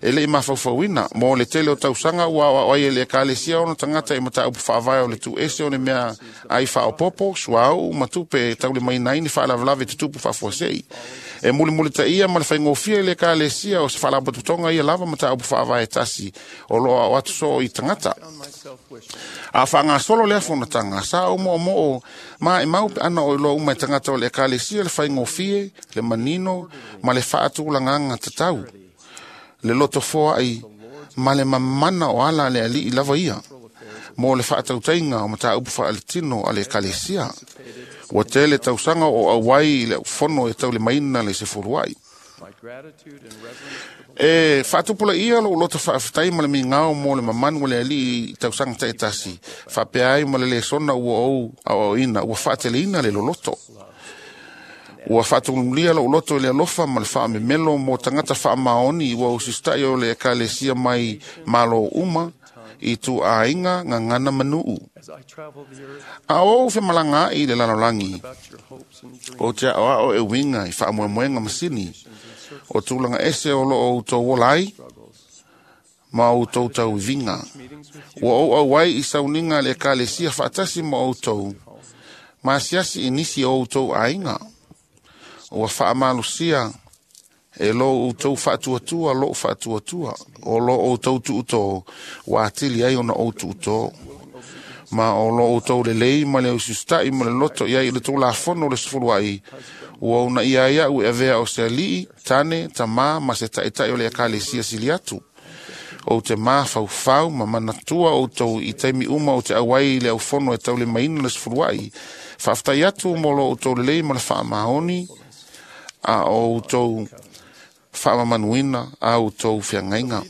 e lei mafaufauina. Mo le tele o tausaga ua aoao ai e le Ekalesia ona tagata i mataupu faavae o le tu ese o ni mea ai faaopopo, suauu ma tupe e taulimaina ai ni faalavelave tutupu faafuasei. E mulimulitaia ma le faigofie i le Ekalesia o se faalapotopotoga ia lava mataupu faavae tasi o loo ao atu soo i tagata. A faagasolo lea fonotaga, sa ou moomoo ma e mau pe ana o iloa uma e tagata o le Ekalesia le faigofie, le manino ma le faatulagaga tatau, le lotofoai ma le mamana o ala a le Alii lava ia mo le faatautaiga o mataupu faaletino a le Ekalesia. Ua tele tausaga o auai i le fono e taulimaina le sefuluai. E faatupulaia lou loto faafetai ma le migao mo le mamanu o le Alii i tausaga taitasi, faapea ai ma le lesona ua ou aoaoina ua faateleina le loloto. Ua faatumulia lou loto i le alofa ma le faamemelo mo tagata faamaoni ua usita'i o le Ekalesia mai malo uma i tuaiga gagana manuu. A o ou femalaga ai i le lalolagi, ou te aoao e uiga i faamoemoega masini, o tulaga ese o loo outou ola ai ma outou tauiviga. Ua ou auai i sauniga a le Ekalesia faatasi ma outou, ma asiasi i nisi o outou aiga. Ua faamalosia e lo outou faatuatua lou faatuatua, o lo outou tuutō, ua atili ai ona ou tuutō. Ma o lo outou lelei ma le ususita'i ma le loto i ai i le tulafono o le sefuluai, ua uunaia ai au e avea o se alii, tane, tamā ma se taita'i o le Ekalesia sili atu. Ou te mafaufau ma manatua outou i taimi uma o te auai i le aufono e taulimaina le sefuluai. Faafetai atu mo lo outou lelei ma le faamaoni a o outou faamamanuina a outou feagaiga.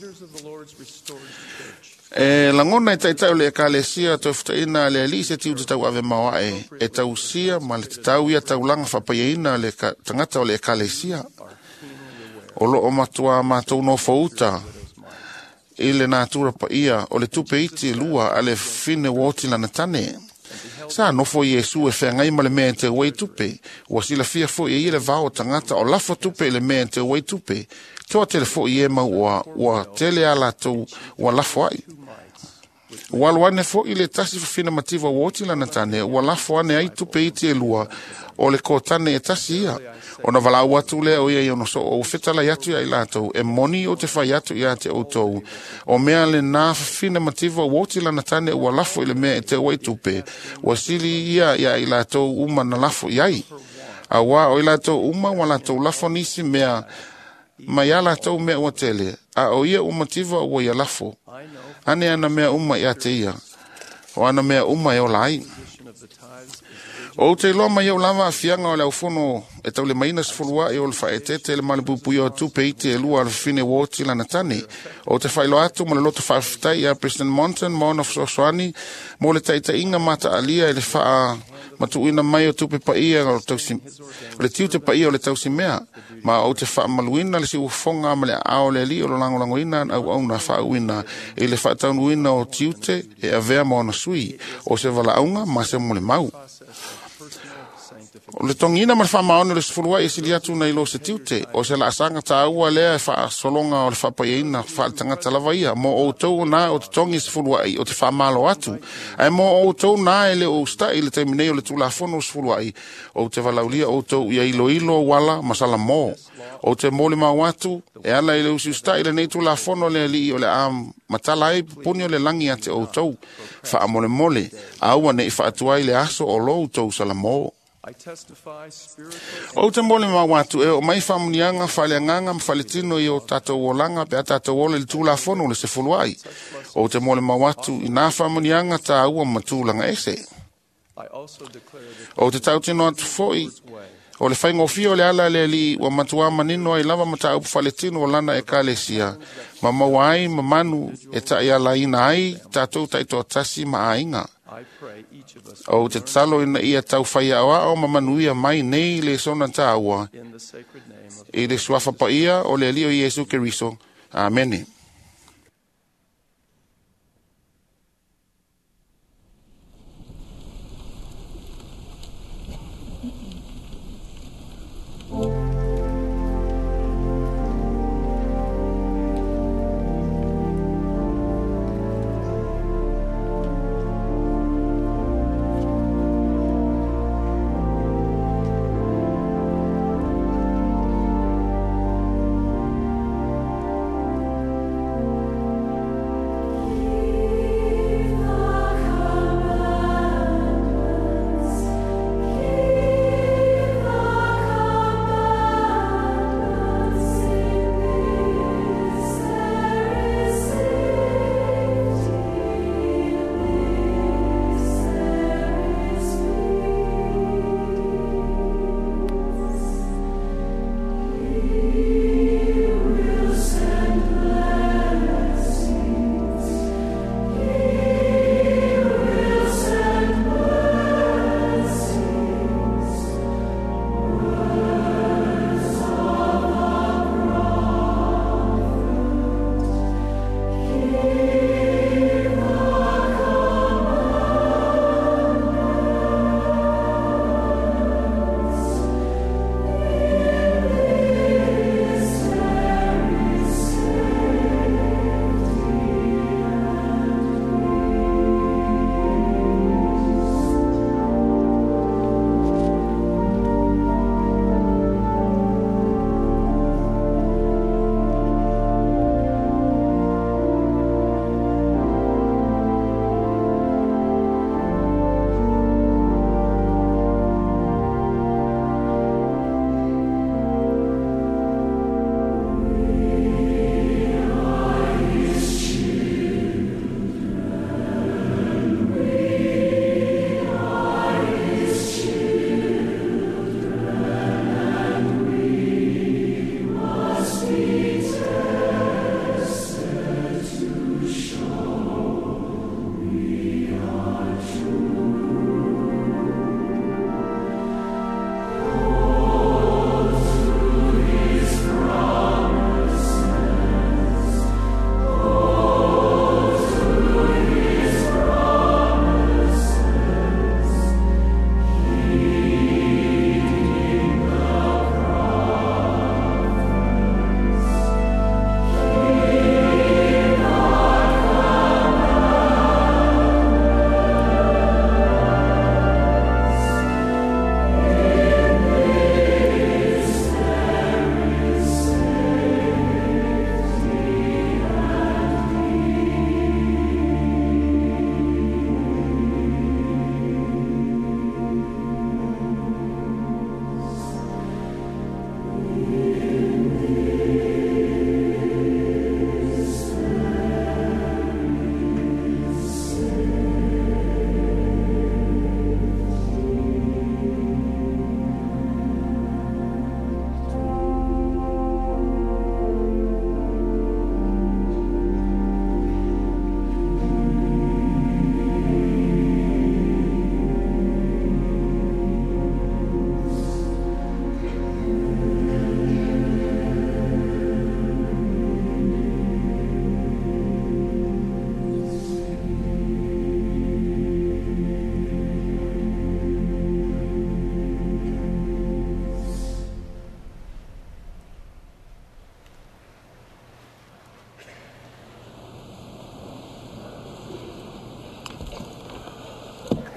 E lagona e taita'i o le Ekalesia Toefutaina a le Alii se tiute tauave maoae e tausia ma le tatau ia taulaga faapaiaina a le tagata o le Ekalesia. O loo matuā matou nofouta i le natura paia o le tupe iti e lua a le fine ua oti lana tane. Sa nofo Iesu e feagai ma le mea e teu ai tupe. Ua silafia foi e ia le vao o tagata o lafo tupe i le mea e teu ai tupe. Toa tele foi e mau ua, ua tele a latou ua lafo ai. Ua alu ane foi le tasi fafina mativa ua oti lana tane, ua lafo ane ai tupe iti e lua o le kotane e tasi ia. Ona valaau atu lea o ia i ona soo, ua fetalai atu ia i latou, e moni o te fai atu ia te outou. O mea le nā fafina mativa ua oti lana tane ua lafo i le mea e teu ai tupe, ua sili ia ia i latou uma na lafo i ai. Auā o i latou uma ua latou lafo nisi mea ma ia latou mea ua tele, a o ia ua mativa ua ia lafo. Ane ana mea uma ia te ia, o ana mea uma e ola ai. O te iloa mai au lava afiaga o le aufono e taulemaina sefuluaʻi o le faaeteete le malepuipuia o tupe iti e lua a le fafine uoti lana tane. O te faailoa atu ma le loto faafetai ia President Monson ma ona fesoasoani mo le taitaiga mataalia i le faamatuuina mai o tupe paia o le tausi o le tiute paia o le tausimea ma ou te faamaluina le siufofoga ma le aao o le alii o lo lagolagoina auauna faauuina i le faataunuina o tiute e avea ma ona sui o se valaauga ma se molimau. O le togiina ma le faamaoni o le sefuluai e sili atu nai lo se tiute, o se laasaga taua lea e faasologa o le faapaiaina faaletagata lava ia. Mo outou na o totogi sefuluai o te faamalo atu, ae mo outou na e le o usita'i i le taimi nei o le Tulafono o sefuluai, ou te valaulia outou ia iloilo uala ma salamō. Ou te molimau atu e ala i le usiusita'i lenei Tulafono le Alii o le a matala ai pupuni o le lagi ia te outou. Faamolemole, aua ne'i faatuai le aso o lo outou salamō. Ou te molimau atu e oo mai faamuniaga faaleagaga ma faaletino i o tatou olaga pe a tatou ola i le Tulafono o le sefuluai. Ou te molimau atu i nā faamuniaga tāua ma tulaga ese. Ou te tautino atu foi o le faigofie o le ala le alii ua matuā manino ai lava mataupu faaletino o lana ekalesia ma maua ai ma manu e taʻialaina ai tatou taitoatasi ma aiga. Ou te tatalo ina ia taufai aoao ma manuia mai nei le sona tāua i le suafa paia o le Alii o Iesu Keriso. Amene.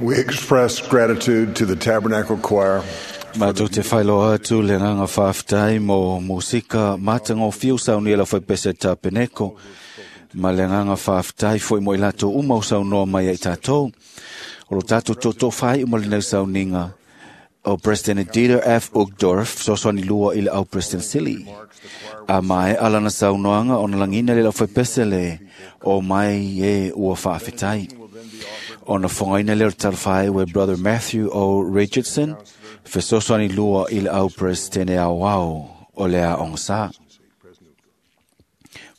We express gratitude to the Tabernacle Choir. Mātou te whailoa atu le nganga whaaftai mo musika mātanga o fiu sau ni la whai pese tā peneko. Ma le nganga whaaftai foi mo i lato uma o sau noa mai ai tātou. O lo tātou toto whai uma le nau sau ninga. O President Dieter F. Uchtdorf, soswani lua i le au President Sili. A mai alana sau noanga o nalangina le la whai pese le o mai e ua whaafetai. Ona whangaina le o talwhai we Brother Matthew O. Richardson, fesoswani lua i le au President au au o le a ongsa.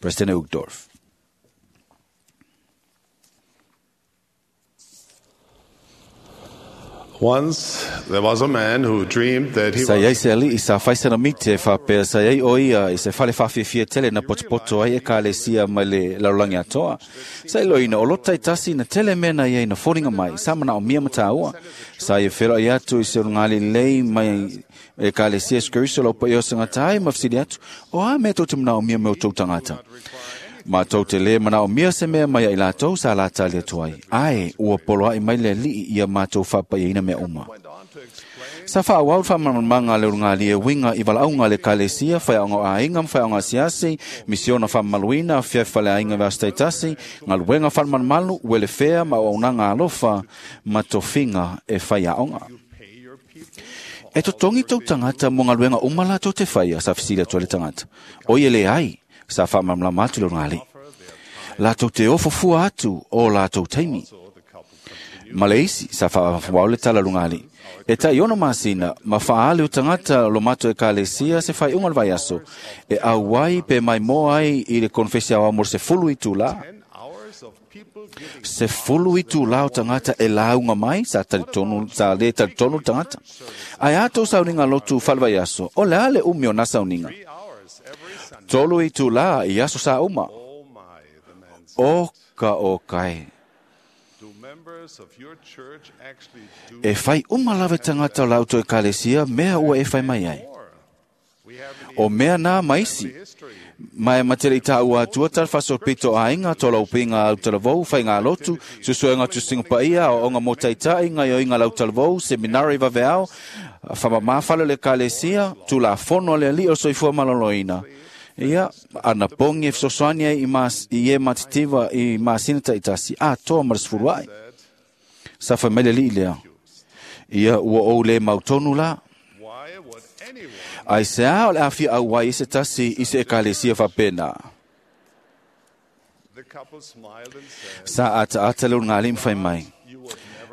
President Uchtdorf. Once there was a man who dreamed that he Sa iai was se ali i sa whaisana mite whapea sa iai o ia i se whale whawhiwhia tele na potopoto ai e ka le sia mai le larolangi atoa. Sa ilo ina o lotai tasi na tele mena ia ina foringa mai sa mana o mia mataua. Sa ia whero i atu i se ngali lei mai e ka le sia skuriso lau pa i o sangatai ma whasiri atu o a me tō te mana o mia me o tō tangata. Ma tau te le mana o mia se mea mai ai lātou sa lātali atu ai. Ai, ua polo ai mai le lii ia mātou whapai ina mea uma. Sa wha wau wha mamanga le urunga li e winga i walaunga le kalesia, whai aonga a inga, whai aonga siasi, misiona wha maluina, whia whale a inga vastaitasi, ngā luenga wha malu, wele whea ma o unanga alofa, ma tofinga e whai aonga. E to tongi tau tangata mo ngā luenga uma la tau te whaia, sa whisila tua le tangata. Oi ele ai, sa wha mamlama atu le urunga li. Lātou te ofofua atu o lātou taimi. Maleisi, sa wha wau le tala lunga li. E tai ono masina, ma whaale o tangata lo mato e kalesia se whai unga le vaiaso. E au ai pe mai moa ai i le konfesia o amor se fulu i tū la. Se fulu i tū la o tangata e launga mai, sa talitonu, sa le talitonu tangata. Ai ato sauninga lotu whale vaiaso, o le ale umi o na sauninga. Tolu i tū la i aso sa uma. O ka o kai. E whai uma lawe tangata o lauto e kalesia, mea ua e whai mai ai. O mea nā maisi. Mai matele i tā ua atua talfaso pito a inga, tō laupinga au talavou, whai ngā lotu, susuenga tu singapaia, o onga mō taitai, ngā io inga lau talavou, seminari vaveao, whamamāwhalo le kalesia, tū la fono le ali o soifua maloloina. Ia, ana pongi e fesoasoani ai i mas, i e matitiva i masina taitasi, a toa marasifuru ai. Sa whai mai le lii lea. Ia, ua ou le mautonu la. Ai se a o le awhia au ai se tasi i se ekalesia whapena. Sa ata ata le ngā lim whai mai.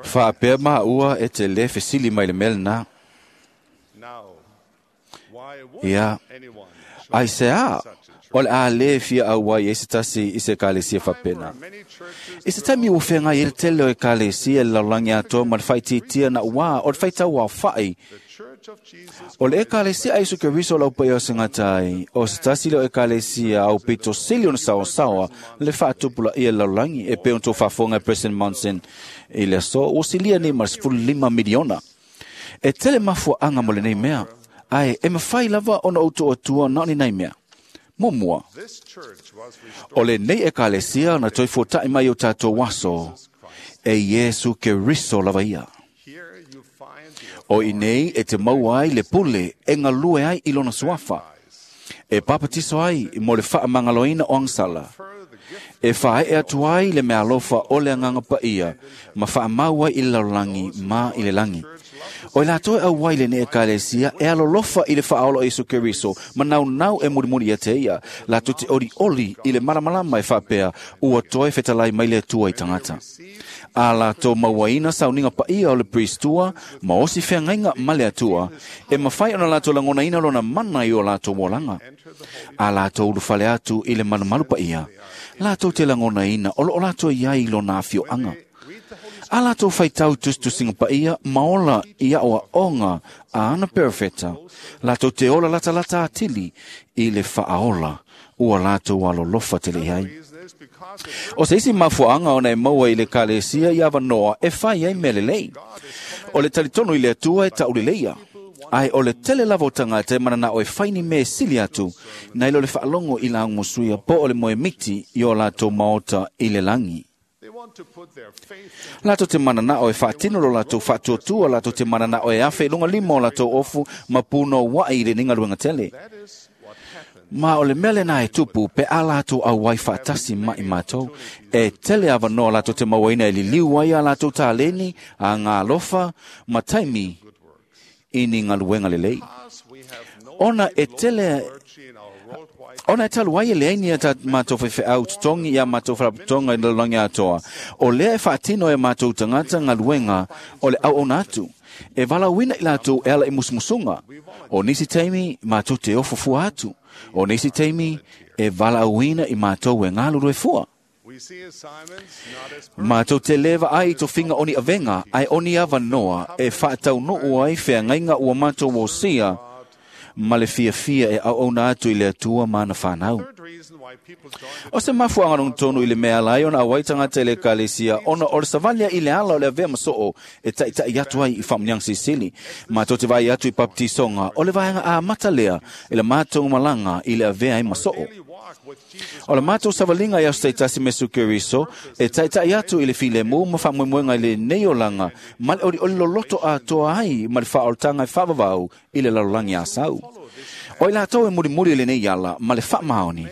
Whaapea maa ua e te le fesili mai le mele nā. Ia, ai se a o le a le fia au ai e se tasi i se ekalesia whapena. I se taimi ua whenga i le tele o ekalesia le larolangi atoa ma le whaititia na ua o le whaitau au whai. O le ekalesia a Isu Keriso lau pai o singatai, o se tasi le o ekalesia au pito sili ona sawa sawa, le whaatupula ia larolangi e pe unto whafonga e President Monson i le aso, o silia ni ma sefulu lima miliona. E tele mafua anga mo le nei mea, ai e mawhai lava ona auto atua na ni nei mea. Mo mua. O le nei ekalesia na toi fuatai mai o tātou waso, e Iesu Keriso lava ia. O i nei e te mau ai le pule e ngalue ai i lona suafa. E papatiso ai mo le whaamangaloina o angsala. E whae e atu ai le mea alofa o le anganga paia, ma whaamau ai i le lalolagi ma i le langi. O i lātou e au ai le ne ekalesia e alolofa i le whaaolo Isu Keriso, ma nau nau e murimuri ia te ia, lātou te ori oli i le malamalama e whaapea, ua toe whetalai mai le atua i tangata. A lātou mauaina sauninga paia o le priestua, ma osi wheangainga ma le atua, e mawhai ona lātou langonaina lona mana i o lātou wolanga. A lātou uluwhale atu i le malumalu paia, lātou te langonaina o lo o lātou iai lona awhioanga. A lātou whaitau tustusinga paia, maola i aoa onga a ana perfeta. Lātou te ola lata lata atili i le whaaola, ua lātou alolofa te lehai. O se isi mafuaanga ona e maua i le kalesia i awanoa e whai ai mele lei. O le talitono i le atua e tauleleia. Ai o le tele lava o tangata e mana o e whaini me sili atu, na ilo le whaalongo i la ungosuia po o le moe miti i o lātou maota i le langi. Latou te mananao e faatino lo latou faatuatua, latou te mananao e afe i luga lima o latou ofu ma punouai i lenei galuega tele. Ma o le mea lena e tupu pe a latou auai faatasi ma i matou. E tele avanoa latou te mauaina e liliu ai a latou taleni, a galofa ma taimi i ni galuega lelei. Ona e tele Ona e talu ai e leai ni a ta matou faifeau totogi ia matou faalapotopotoga i le lalolagi atoa, o lea e faatino e matou tagata galuega o le auauna atu, e valaauina i latou e ala i musumusuga. O nisi taimi matou te ofo fua atu, o nisi taimi e valaauina i matou e galulue fua. Matou te le vaai i tofiga o ni avega, ae o ni avanoa e faataunuu ai feagaiga ua matou osia ma le fiafia e auauna atu i le Atua ma ana fanau. O se mafuaaga logotonu i le mea ala ai ona auai tagata i le ekalesia, ona o le savalia i le ala o le avea ma soo e taʻitaʻi atu ai i faamuniaga silisili. Matou te vaai atu i papatisoga, o le vaega amata lea i le matou malaga i le avea ai ma soo. O le matou savaliga i aso taitasi ma Iesu Keriso e taʻitaʻi atu i le filemu ma faamoemoega i lenei olaga ma le olioli loloto atoa ai ma le faaolataga e faavavau i le lalolagi asau. O i latou e mulimuli i lenei ala ma le faamaoni,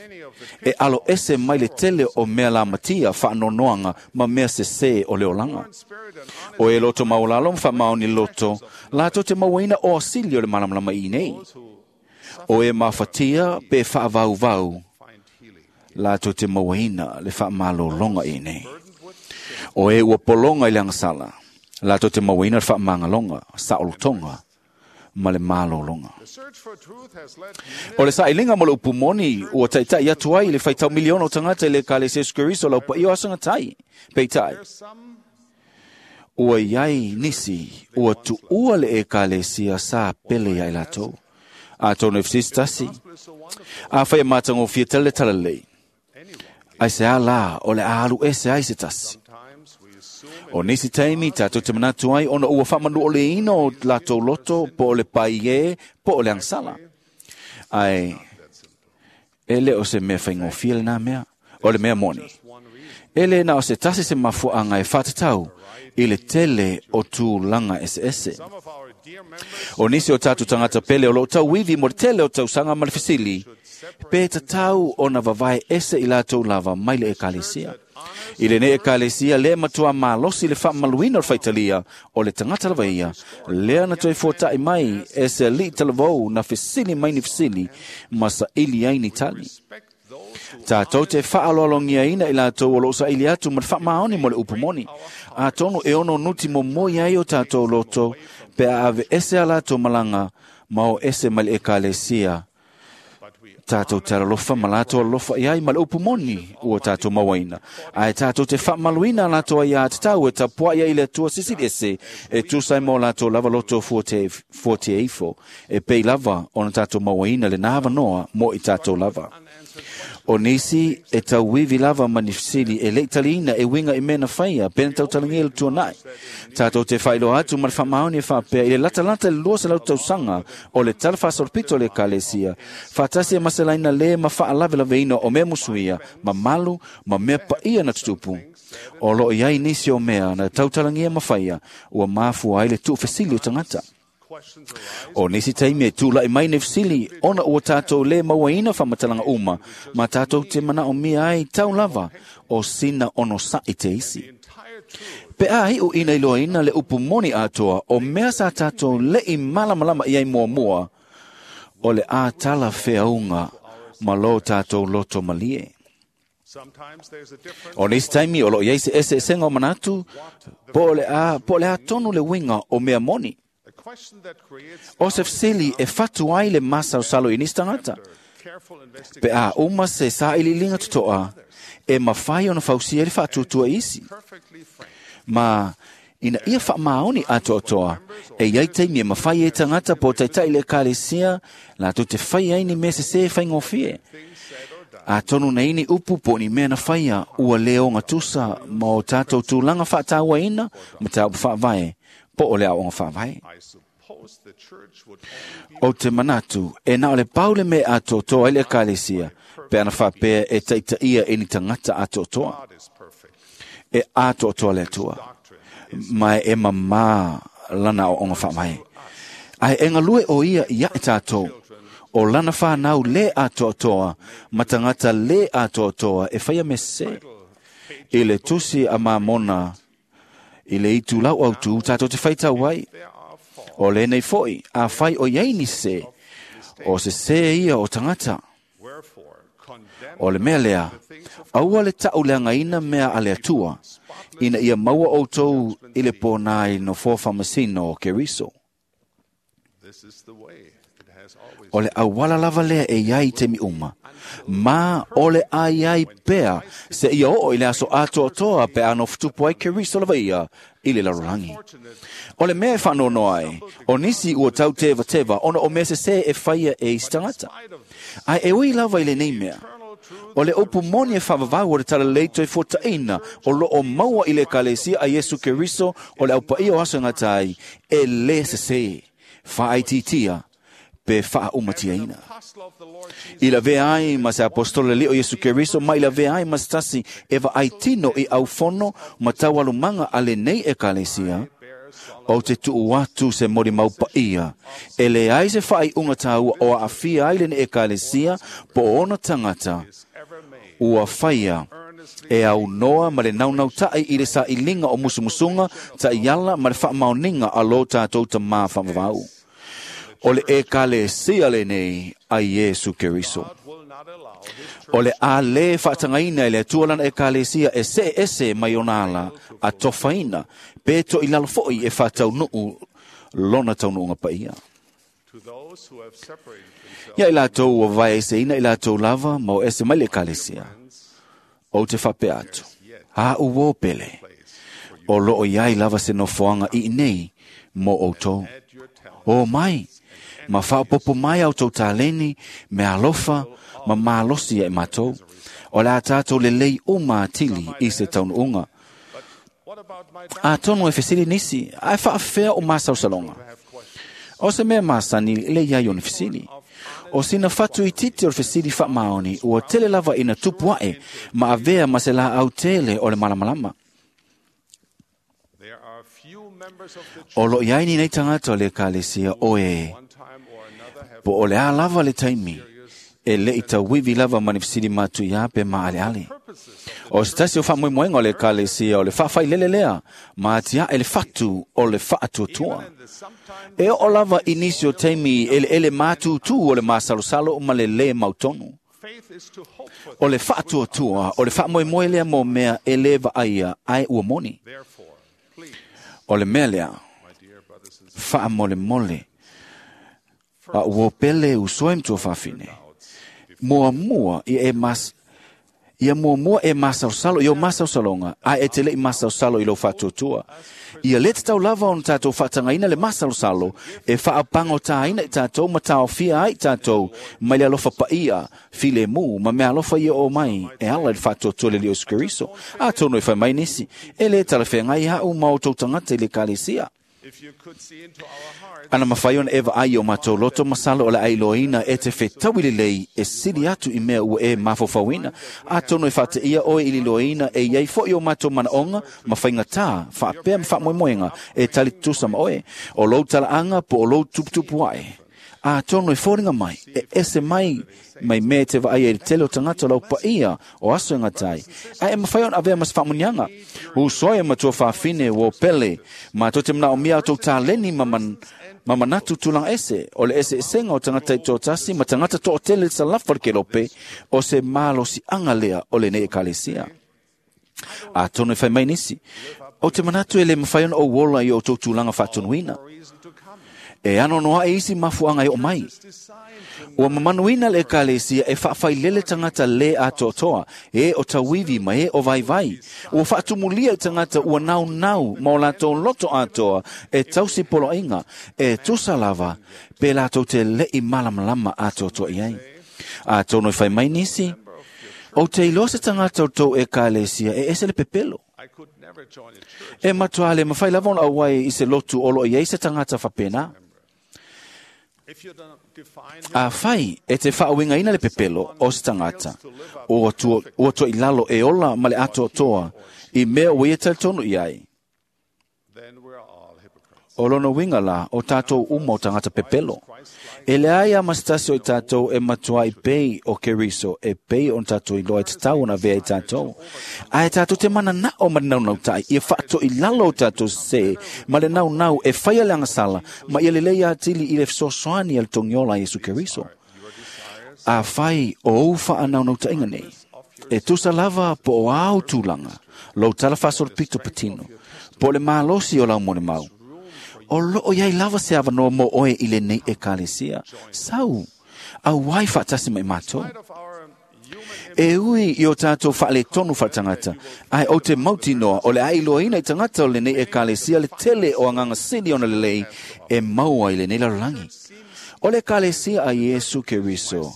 e alo ese mai le tele o mea lamatia, faanoanoaga ma mea sesē o le olaga. O e loto maualalo ma faamaoni loto, latou te mauaina o asili o le malamalama i nei. O e mafatia pe faavauvau, latou te mauaina le faamalologa i nei. O e ua pologa i le agasala, latou te mauaina le faamagaloga, saolotoga ma le malologa. O le sailiga mo le upu moni ua taʻitaʻi atu ai i le faitau miliona o tagata i le ekalesia Iesu Keriso lau paia o aso gatai. Peitai, ua iai nisi ua tuua le ekalesia sa pele ia i latou. Atonu e fesisi tasi, afai e matagofie tele le talalelei, ai se a la o le a alu ese ai se tasi. O nisi taimi tatou te manatu ai ona ua faamanuoleina o latou loto po o le paie po o le agasala. Ae e le o se mea faigofie lena mea, o le mea moni. E le na o se tasi se mafuaaga e faatatau i le tele o tulaga eseese. O nisi o tatou tagata pele o loo tauivi mo le tele o tausaga ma le fesili, pe tatau ona vavae ese i latou lava mai le ekalesia. I lenei ekalesia lea matua malosi le faamaluina o le faitalia o le tagata lava ia, lea na toe fuataʻi mai e se alii talavou na fesili mai ni fesili ma saili ai ni tali. Tatou te faaaloalogiaina i latou o loo saili atu ma le faamaoni mo le upu moni. Atonu e ono nuti momoi ai o tatou loto pe a ave ese a latou malaga ma o ese mai le ekalesia. Tatou te alolofa ma latou alolofa i ai ma le upu moni ua tatou mauaina. Ae tatou te faamaluina a latou aiā tatau e tapuai ai i le Atua sisili ese e tusa ai mo latou lava loto fuatia ifo, e pei lava ona tatou mauaina lena avanoa mo i tatou lava. O nisi e tauivi lava ma ni fesili e le i taliina e uiga i mea na faia pe na tautalagia i le tuanai. Tatou te faailoa atu ma le faamaoni e faapea i le latalata i le lua selau tausaga o le tala faasolopito o le ekalesia, faatasi e maselaina le ma faalavelaveina o mea musuia, mamalu ma mea paia na tutupu. O loo i ai nisi o mea na tautalagia ma faia ua mafua ai le tuufesili o tagata. O nisi taimi e tulaʻi mai nei fesili ona ua tatou le mauaina faamatalaga uma ma tatou te manaomia ai tau lava o sina onosaʻi te isi. Pe a iʻu ina iloaina le upu moni atoa o mea sa tatou leʻi malamalama i ai muamua, o le a tala feauga ma lo tatou loto malie. O nisi taimi o loo i ai se eseesega o manatu po o le a, po o le a tonu le uiga o mea moni. O se fesili e fatu ai le masalosalo i nisi tagata. Pe a uma se sailiiliga totoa, e mafai ona fausia i le faatuatua isi. Ma ina ia faamaoni atoatoa, e iai taimi e mafai e tagata po o taitaʻi le ekalesia latou te fai ai ni mea sesē e faigofie. Atonu na ini upu po o ni mea na faia ua le ogatusa ma o tatou tulaga faatauaina ma mataupu faavae po o le aoaoga faavae. O te manatu, e na o le paule me atoatoa i le ekalesia, pe ana whapea e taitaia e ni tangata atoatoa. E atoatoa le Atua. Mai e mamā lana o onga whaamai. Ai e ngalue o ia ia e tātou. O lana whanau le atoatoa, ma tangata le atoatoa e whaia me se. I le tusi a mamona, i le itu lau au tū, tātou te whaitau ai. O le nei foi, a whai o iei ni se, o se se ia o tangata. O le mea lea, aua le tau lea ngaina mea a le Atua, ina ia maua outou i le pōnai no fōwhamasino o Keriso. O le awala lava lea e iai te mi uma. Ma o le ai ai pea se ia oo i le aso atoatoa pe ano futupu ai Keriso lava ia i le larolangi. O le mea e whanono ai, o nisi ua tau teva teva, ona o mea se se e whaia e isi tangata. Ai e ui lava i le nei mea. O le opu moni e whavavau o le tala leito e fuataina o lo o maua i le ekalesia a Yesu Keriso o le aupaia o aso ngatai e le se se whaaititia pe whaaumatia. I la vea ai ma se apostole leo Yesu Keriso, ma i la vea ai ma se tasi e va ai tino i au fono ma taualumanga a le nei ekalesia, o te tuu atu se mori maupaia. E le ai se whaai unga tāua o a awhia ai le nei ekalesia po ona tangata ua whaia e au noa ma le naunau tai i le sa ilinga o musumusunga ta iala ma le whaamaoninga a lo tātou ta mā whamawau. O le ekalesia le nei a Yesu Keriso. O le a le whaatangaina e le Atua lana ekalesia e se ese mai ona ala a tofaina pe to i lalo foi e whataunuu lona taunuunga paia. Ia i lātou ua vae ese ina i lātou lava ma o ese mai le ekalesia. O te whapea atu. A uo pele. O loo iai lava se nofoanga i nei mo outou. O mai, ma whaopopo mai au tau tāleni, me alofa, ma malosi e mātou. O la tātou le lei uma atili i se taunuunga. A tono e fesili nisi, ai whaafea o māsausalonga. O se mea māsani le iai o ni fesili. O sina whatu i titi o le fesili whaamaoni, ua tele lava ina tupuae, ma avea ma se la au tele o le malamalama. O lo iai ni nei tangata o le ekalesia o e. Po o le a lava le taimi, e le i tauivi lava ma ni fesili mātu ia pe ma ale ale. O se tasi o whaamoemoenga o le ekalesia o le whaawhai lele lea, ma atia e le whatu o le whaatuatua. E o lava i nisi o taimi ele ele mātūtū o le māsalosalo ma le le mautonu. O le whaatuatua, o le whaamoemoe lea mō mea e le vaaia ai ua moni. O le mea lea, whaamolemole, a ua pele usoe mtua whawhine. Mua mua i e mas, ia mua mua e masausalo, i o masausalonga, a e te lei masausalo i lo whatuatua. Ia le te tau lava ona tātou whaatangaina le masalosalo, e whaapango tāina i tātou, ma tāofia ai tātou, mai le alofa paia, file mū, ma mea alofa ia o mai, e ala le whatuatua le leo Keriso. A tono e whai mai nisi, e le talawhea ngai hau ma o tau tangata i le kalesia. Ana mawhai ona ewa ai o mātou loto masalo o le ailoina e te whetawile lei e sili atu i mea ua e mawhawhawina. A tono e whate ia oe i liloina e iai fo i o mātou manaonga ma whainga tā, whaapea ma whaamoemoenga e tali tusa ma oe. O lou talaanga po o lou tuputupu ae. A tono e fōringa mai, e ese mai, mai mea te vaai e tele o tangata lau paia o aso e ngatai. A e mawhai ona avea mas whaamunianga. Usoe matua whawhine o pele, ma tō te mna o mia tō tāleni ma man, ma manatu tūlang ese, o le ese esenga o tangata i tō tasi, ma tangata tō tele sa lafa ke lope, o se malosi anga lea o le nei ekalesia. A tono e whai mai nisi, o te manatu e le mawhai ona o wola i o tō tūlanga whātonuina. E ano noa e isi mafuanga e o mai. Ua mamanuina le ekalesia e whaawhailele tangata le atoatoa, e o tauivi ma e o vaivai. Ua whaatumulia i tangata ua nau nau ma o lātou loto atoa e tausi poloinga, e tusa lava, pe lātou te lei malamalama atoatoa i ai. A tono i whai mai nisi, o te iloa se tangata o tō ekalesia e ese le pepelo. E matua le mawhai lava ona auai i se lotu o lo i ei se tangata whapena. A fai e te whaawingaina le pepelo o se tangata, o tua, o tua i lalo e ola ma le atoatoa, i mea o ia talitonu i ai. O lona winga la o tātou uma o tangata pepelo. E le ai a masitasi o i tātou e matua i pei o Keriso, e pei o tātou i loa i te tau na vea i tātou. A e tātou te mana na o ma le naunau tai, ia whaato i lalo o tātou se, ma le naunau e whaia le angasala, ma ia lelei atili i le fesoasoani a le togiola a Iesu Keriso. A whai o ou wha naunau tainga nei. E tusa lava po o au tūlanga, lou tala whasoro pito patino, po le malosi o lau mone mau. O loo iai lava se avanoa mo oe i le nei ekalesia. Sau, au wai whaatasi mai mātou. E ui i o tātou whaale tonu whaatangata, ai o te mauti noa o le ai loaina i tangata o le nei ekalesia le tele o anganga sili ona lelei e maua i le nei larolangi. O le ekalesia a Iesu Keriso.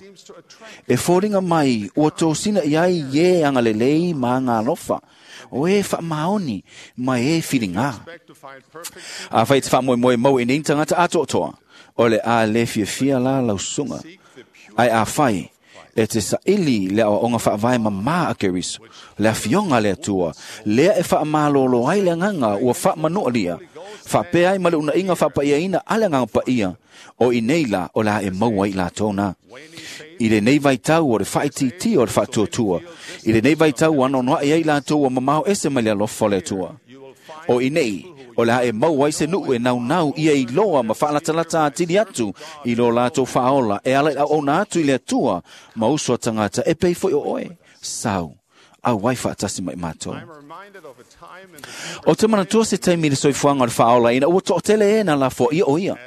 E fōringa mai ua tōsina i ai ye anga lelei ma anga alofa. O e wha maoni mai e whiringa. A whai te wha moe moe mau e nei tangata atoatoa. O le a le fia fia la lausunga. Ai a whai e te saili le awa onga whaavae mama a Keriso. Le a fionga le atua. Lea e wha malolo ai le nganga ua wha manoa lia. Wha pea ai ma le una inga wha paia ina ale nganga paia. O i nei la o la e maua i la tōna. I le nei vai tau o le whaititi o le whaatuatua. I le nei vai tau ano noa e ai la tō o mamao ese mai le alofa le atua. O i nei, o le hae mau ai se nuu e nau nau ia i loa ma whaalatalata atili atu i lo lātou whaola e ala i au ona atu i le atua ma uso tangata e pei foi o oe. Sau, au wai whaatasi mai mātou. O te manatua se taimi le soifuanga o le whaola ina ua to'otele e na la fo ia o ia.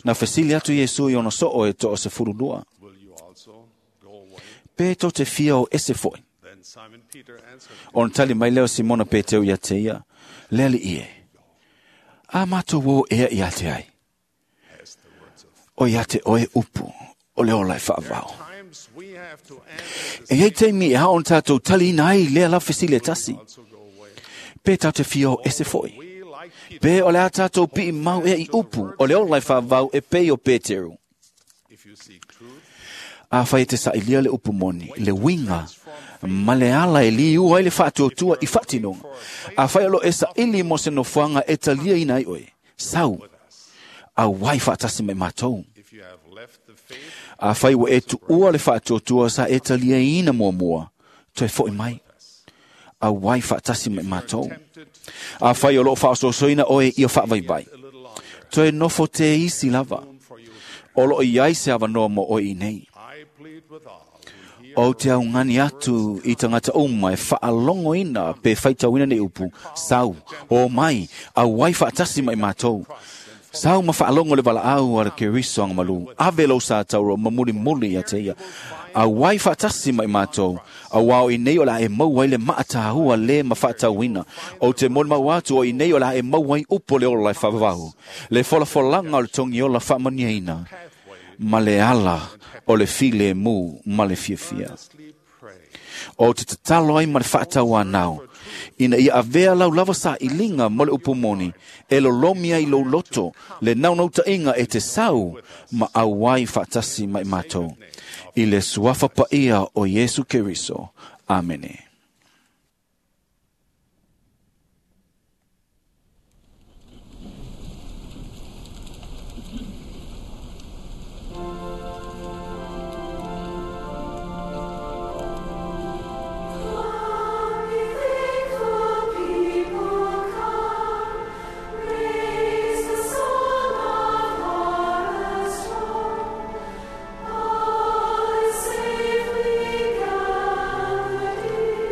Na fesili atu Iesu i ona soo e to'o se furulua. Pe tō te fia o ese foi. Ona tali mai leo Simona Peteu ia te ia. Lele ie. A mātou o ea ia te ai. O ia te oe upu. O le ola e whaavao. E hei teimi e haon tātou tali ina ai lea la fesile tasi. Pe tātou te fia o ese foi. Pe o le a tātou pii mau ea i upu. O le ola e whaavao e pei o Peteru. A whai te sailia le upu moni, le winga, ma le ala e li ua i le whaatuatua i whatinonga. A whai alo e saili mo se nofuanga e talia ina i oe. Sau, a wai whaatasi mai mātou. A whai wa e tuua le whaatuatua sa e talia ina mua mua, toe foi mai. A wai whaatasi mai mātou. A whai alo whaasosoina oe i o whaavaibai. Toe nofo te isi lava. Olo i ai se avanoa mo oe i nei. O te au ngani atu i tangata uma e whaalongo ina pe whaitauina nei upu. Sau, o mai, au wai whaatasi mai mātou. Sau ma whaalongo le wala au ara Keriso anga malu. Ave lo sa tauro mamuli muli ia te ia. Au wai whaatasi mai mātou. Au wao i nei o la e mau ai le maatahua le ma whaatauina. O te moni mau atu o i nei o la e mau ai upo le ola e whavavahu. Le folafolanga o le tongi ola whaamaniaina. Ma le ala o le file mu ma le fiafia. O te tatalo ai ma le whaatau anau. Ina ia avea lau lava sa ilinga mo le upumoni. E lolomi ai lo loto le naunauta inga e te sau ma auai whaatasi mai mātou. I le suafa paia o Iesu Keriso. Amene. Safely gathered.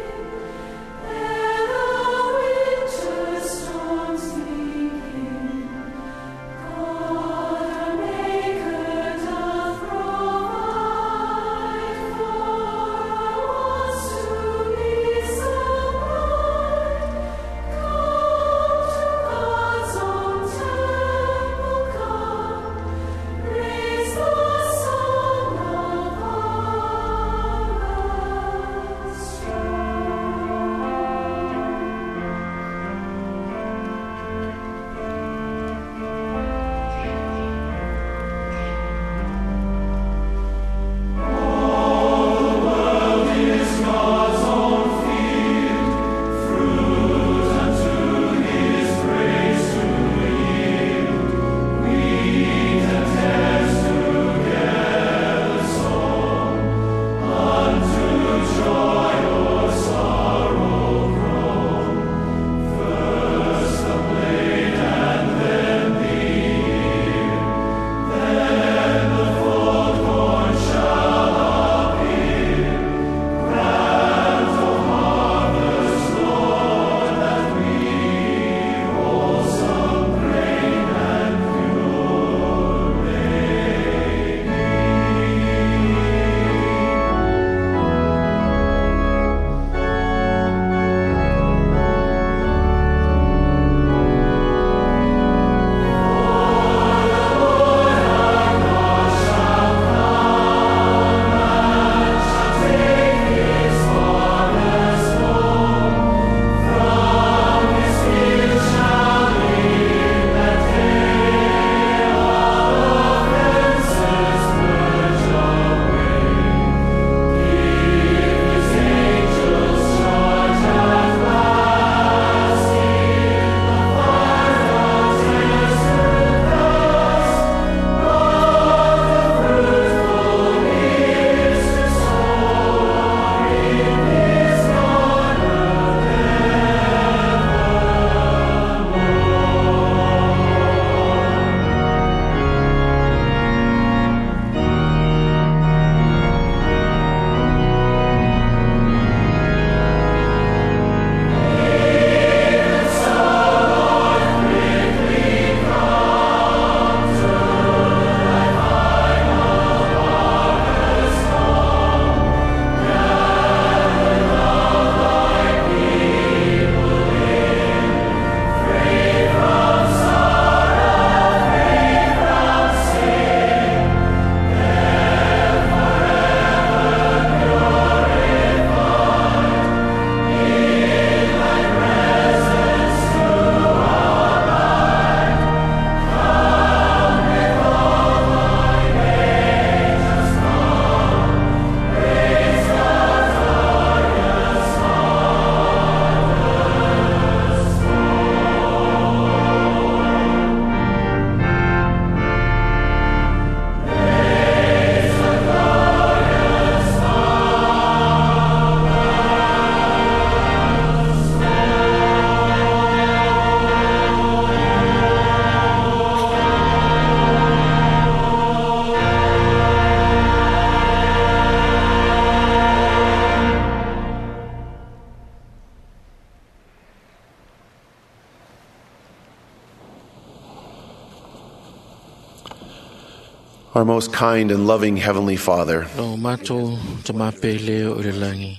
Our most kind and loving Heavenly Father, Lo mātou te māpele o le langi.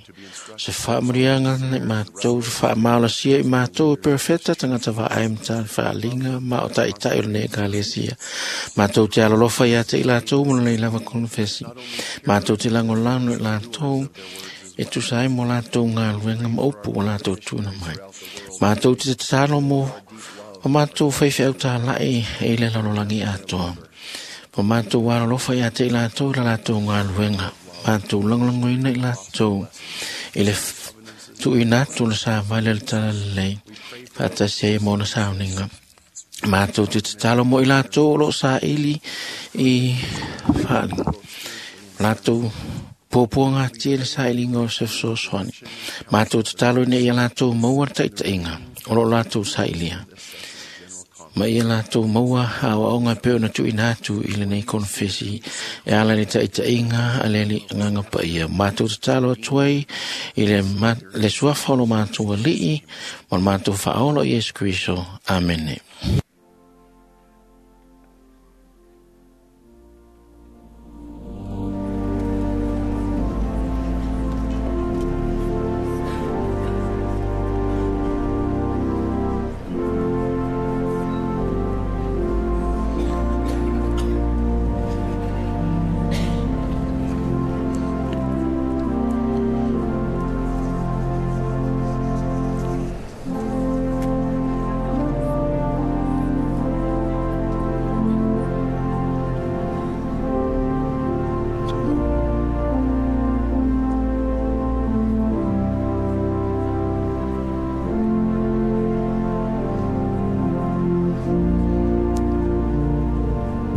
Se whaamurianga nei mātou, se whaamalasia i mātou, perfecta tangata vaai mta whaalinga, ma o taitai o nei ekalesia. Mātou te alolofa ia te i lātou, mo nei lava konfesi. Mātou te langolano i lātou, e tusa ai mo lātou ngā luenga ma upu o lātou tuna mai. Mātou te tatalo mo, o mātou whaiwhi au tā lai e le lalolangi atoa. O mātou alolofa ia te i lātou, la lātou ngā luenga. Mātou langolongoina i lātou. I le tuina atu le sa vale le tala lelei. Whaatasi ai mōna sauninga. Mātou te tatalo mo i lātou o lo sa ili i whaalinga. Lātou pōpō ngā tia le sa ilinga o se fesoasoani. Mātou tatalo ina ia lātou maua le taitaiga o lo lātou sa ilia. Ma ia lātou maua aoaoga e pei ona tuuina atu i lenei konefesi e ala le taʻitaʻiga a le Agaga Paia. Matou tatalo atu ai i le, ma, le suafa o lo matou Alii ma le matou Faaola o Iesu Keriso. Amene.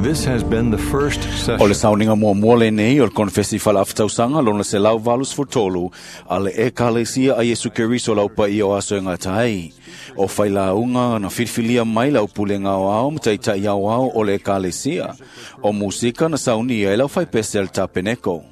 This has been the first O le session. sauninga muamua lenei o le konefesi faalaftausaga lona selau valu sefulutolu a le Ekalesia a Iesu Keriso lau paia o aso e gata ai. O failauga na filifilia mai lau pulega aoao ma taitaʻi aoao o le Ekalesia. O musika na saunia e lau faipese a le tapeneko.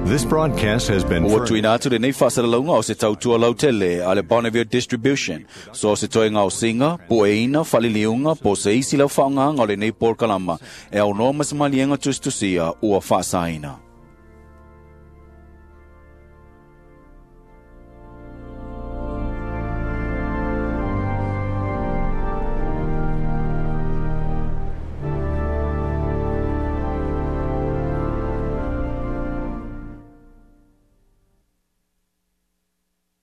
This broadcast has been Ua tuuina atu lenei faasalalauga o se tautua lautele a le Bonneville Distribution. So se toega o siga, pueina, faliliuga, po se isi lau faaaogaga o lenei polokalama e aunoa ma se maliega tusitusia ua faasaina.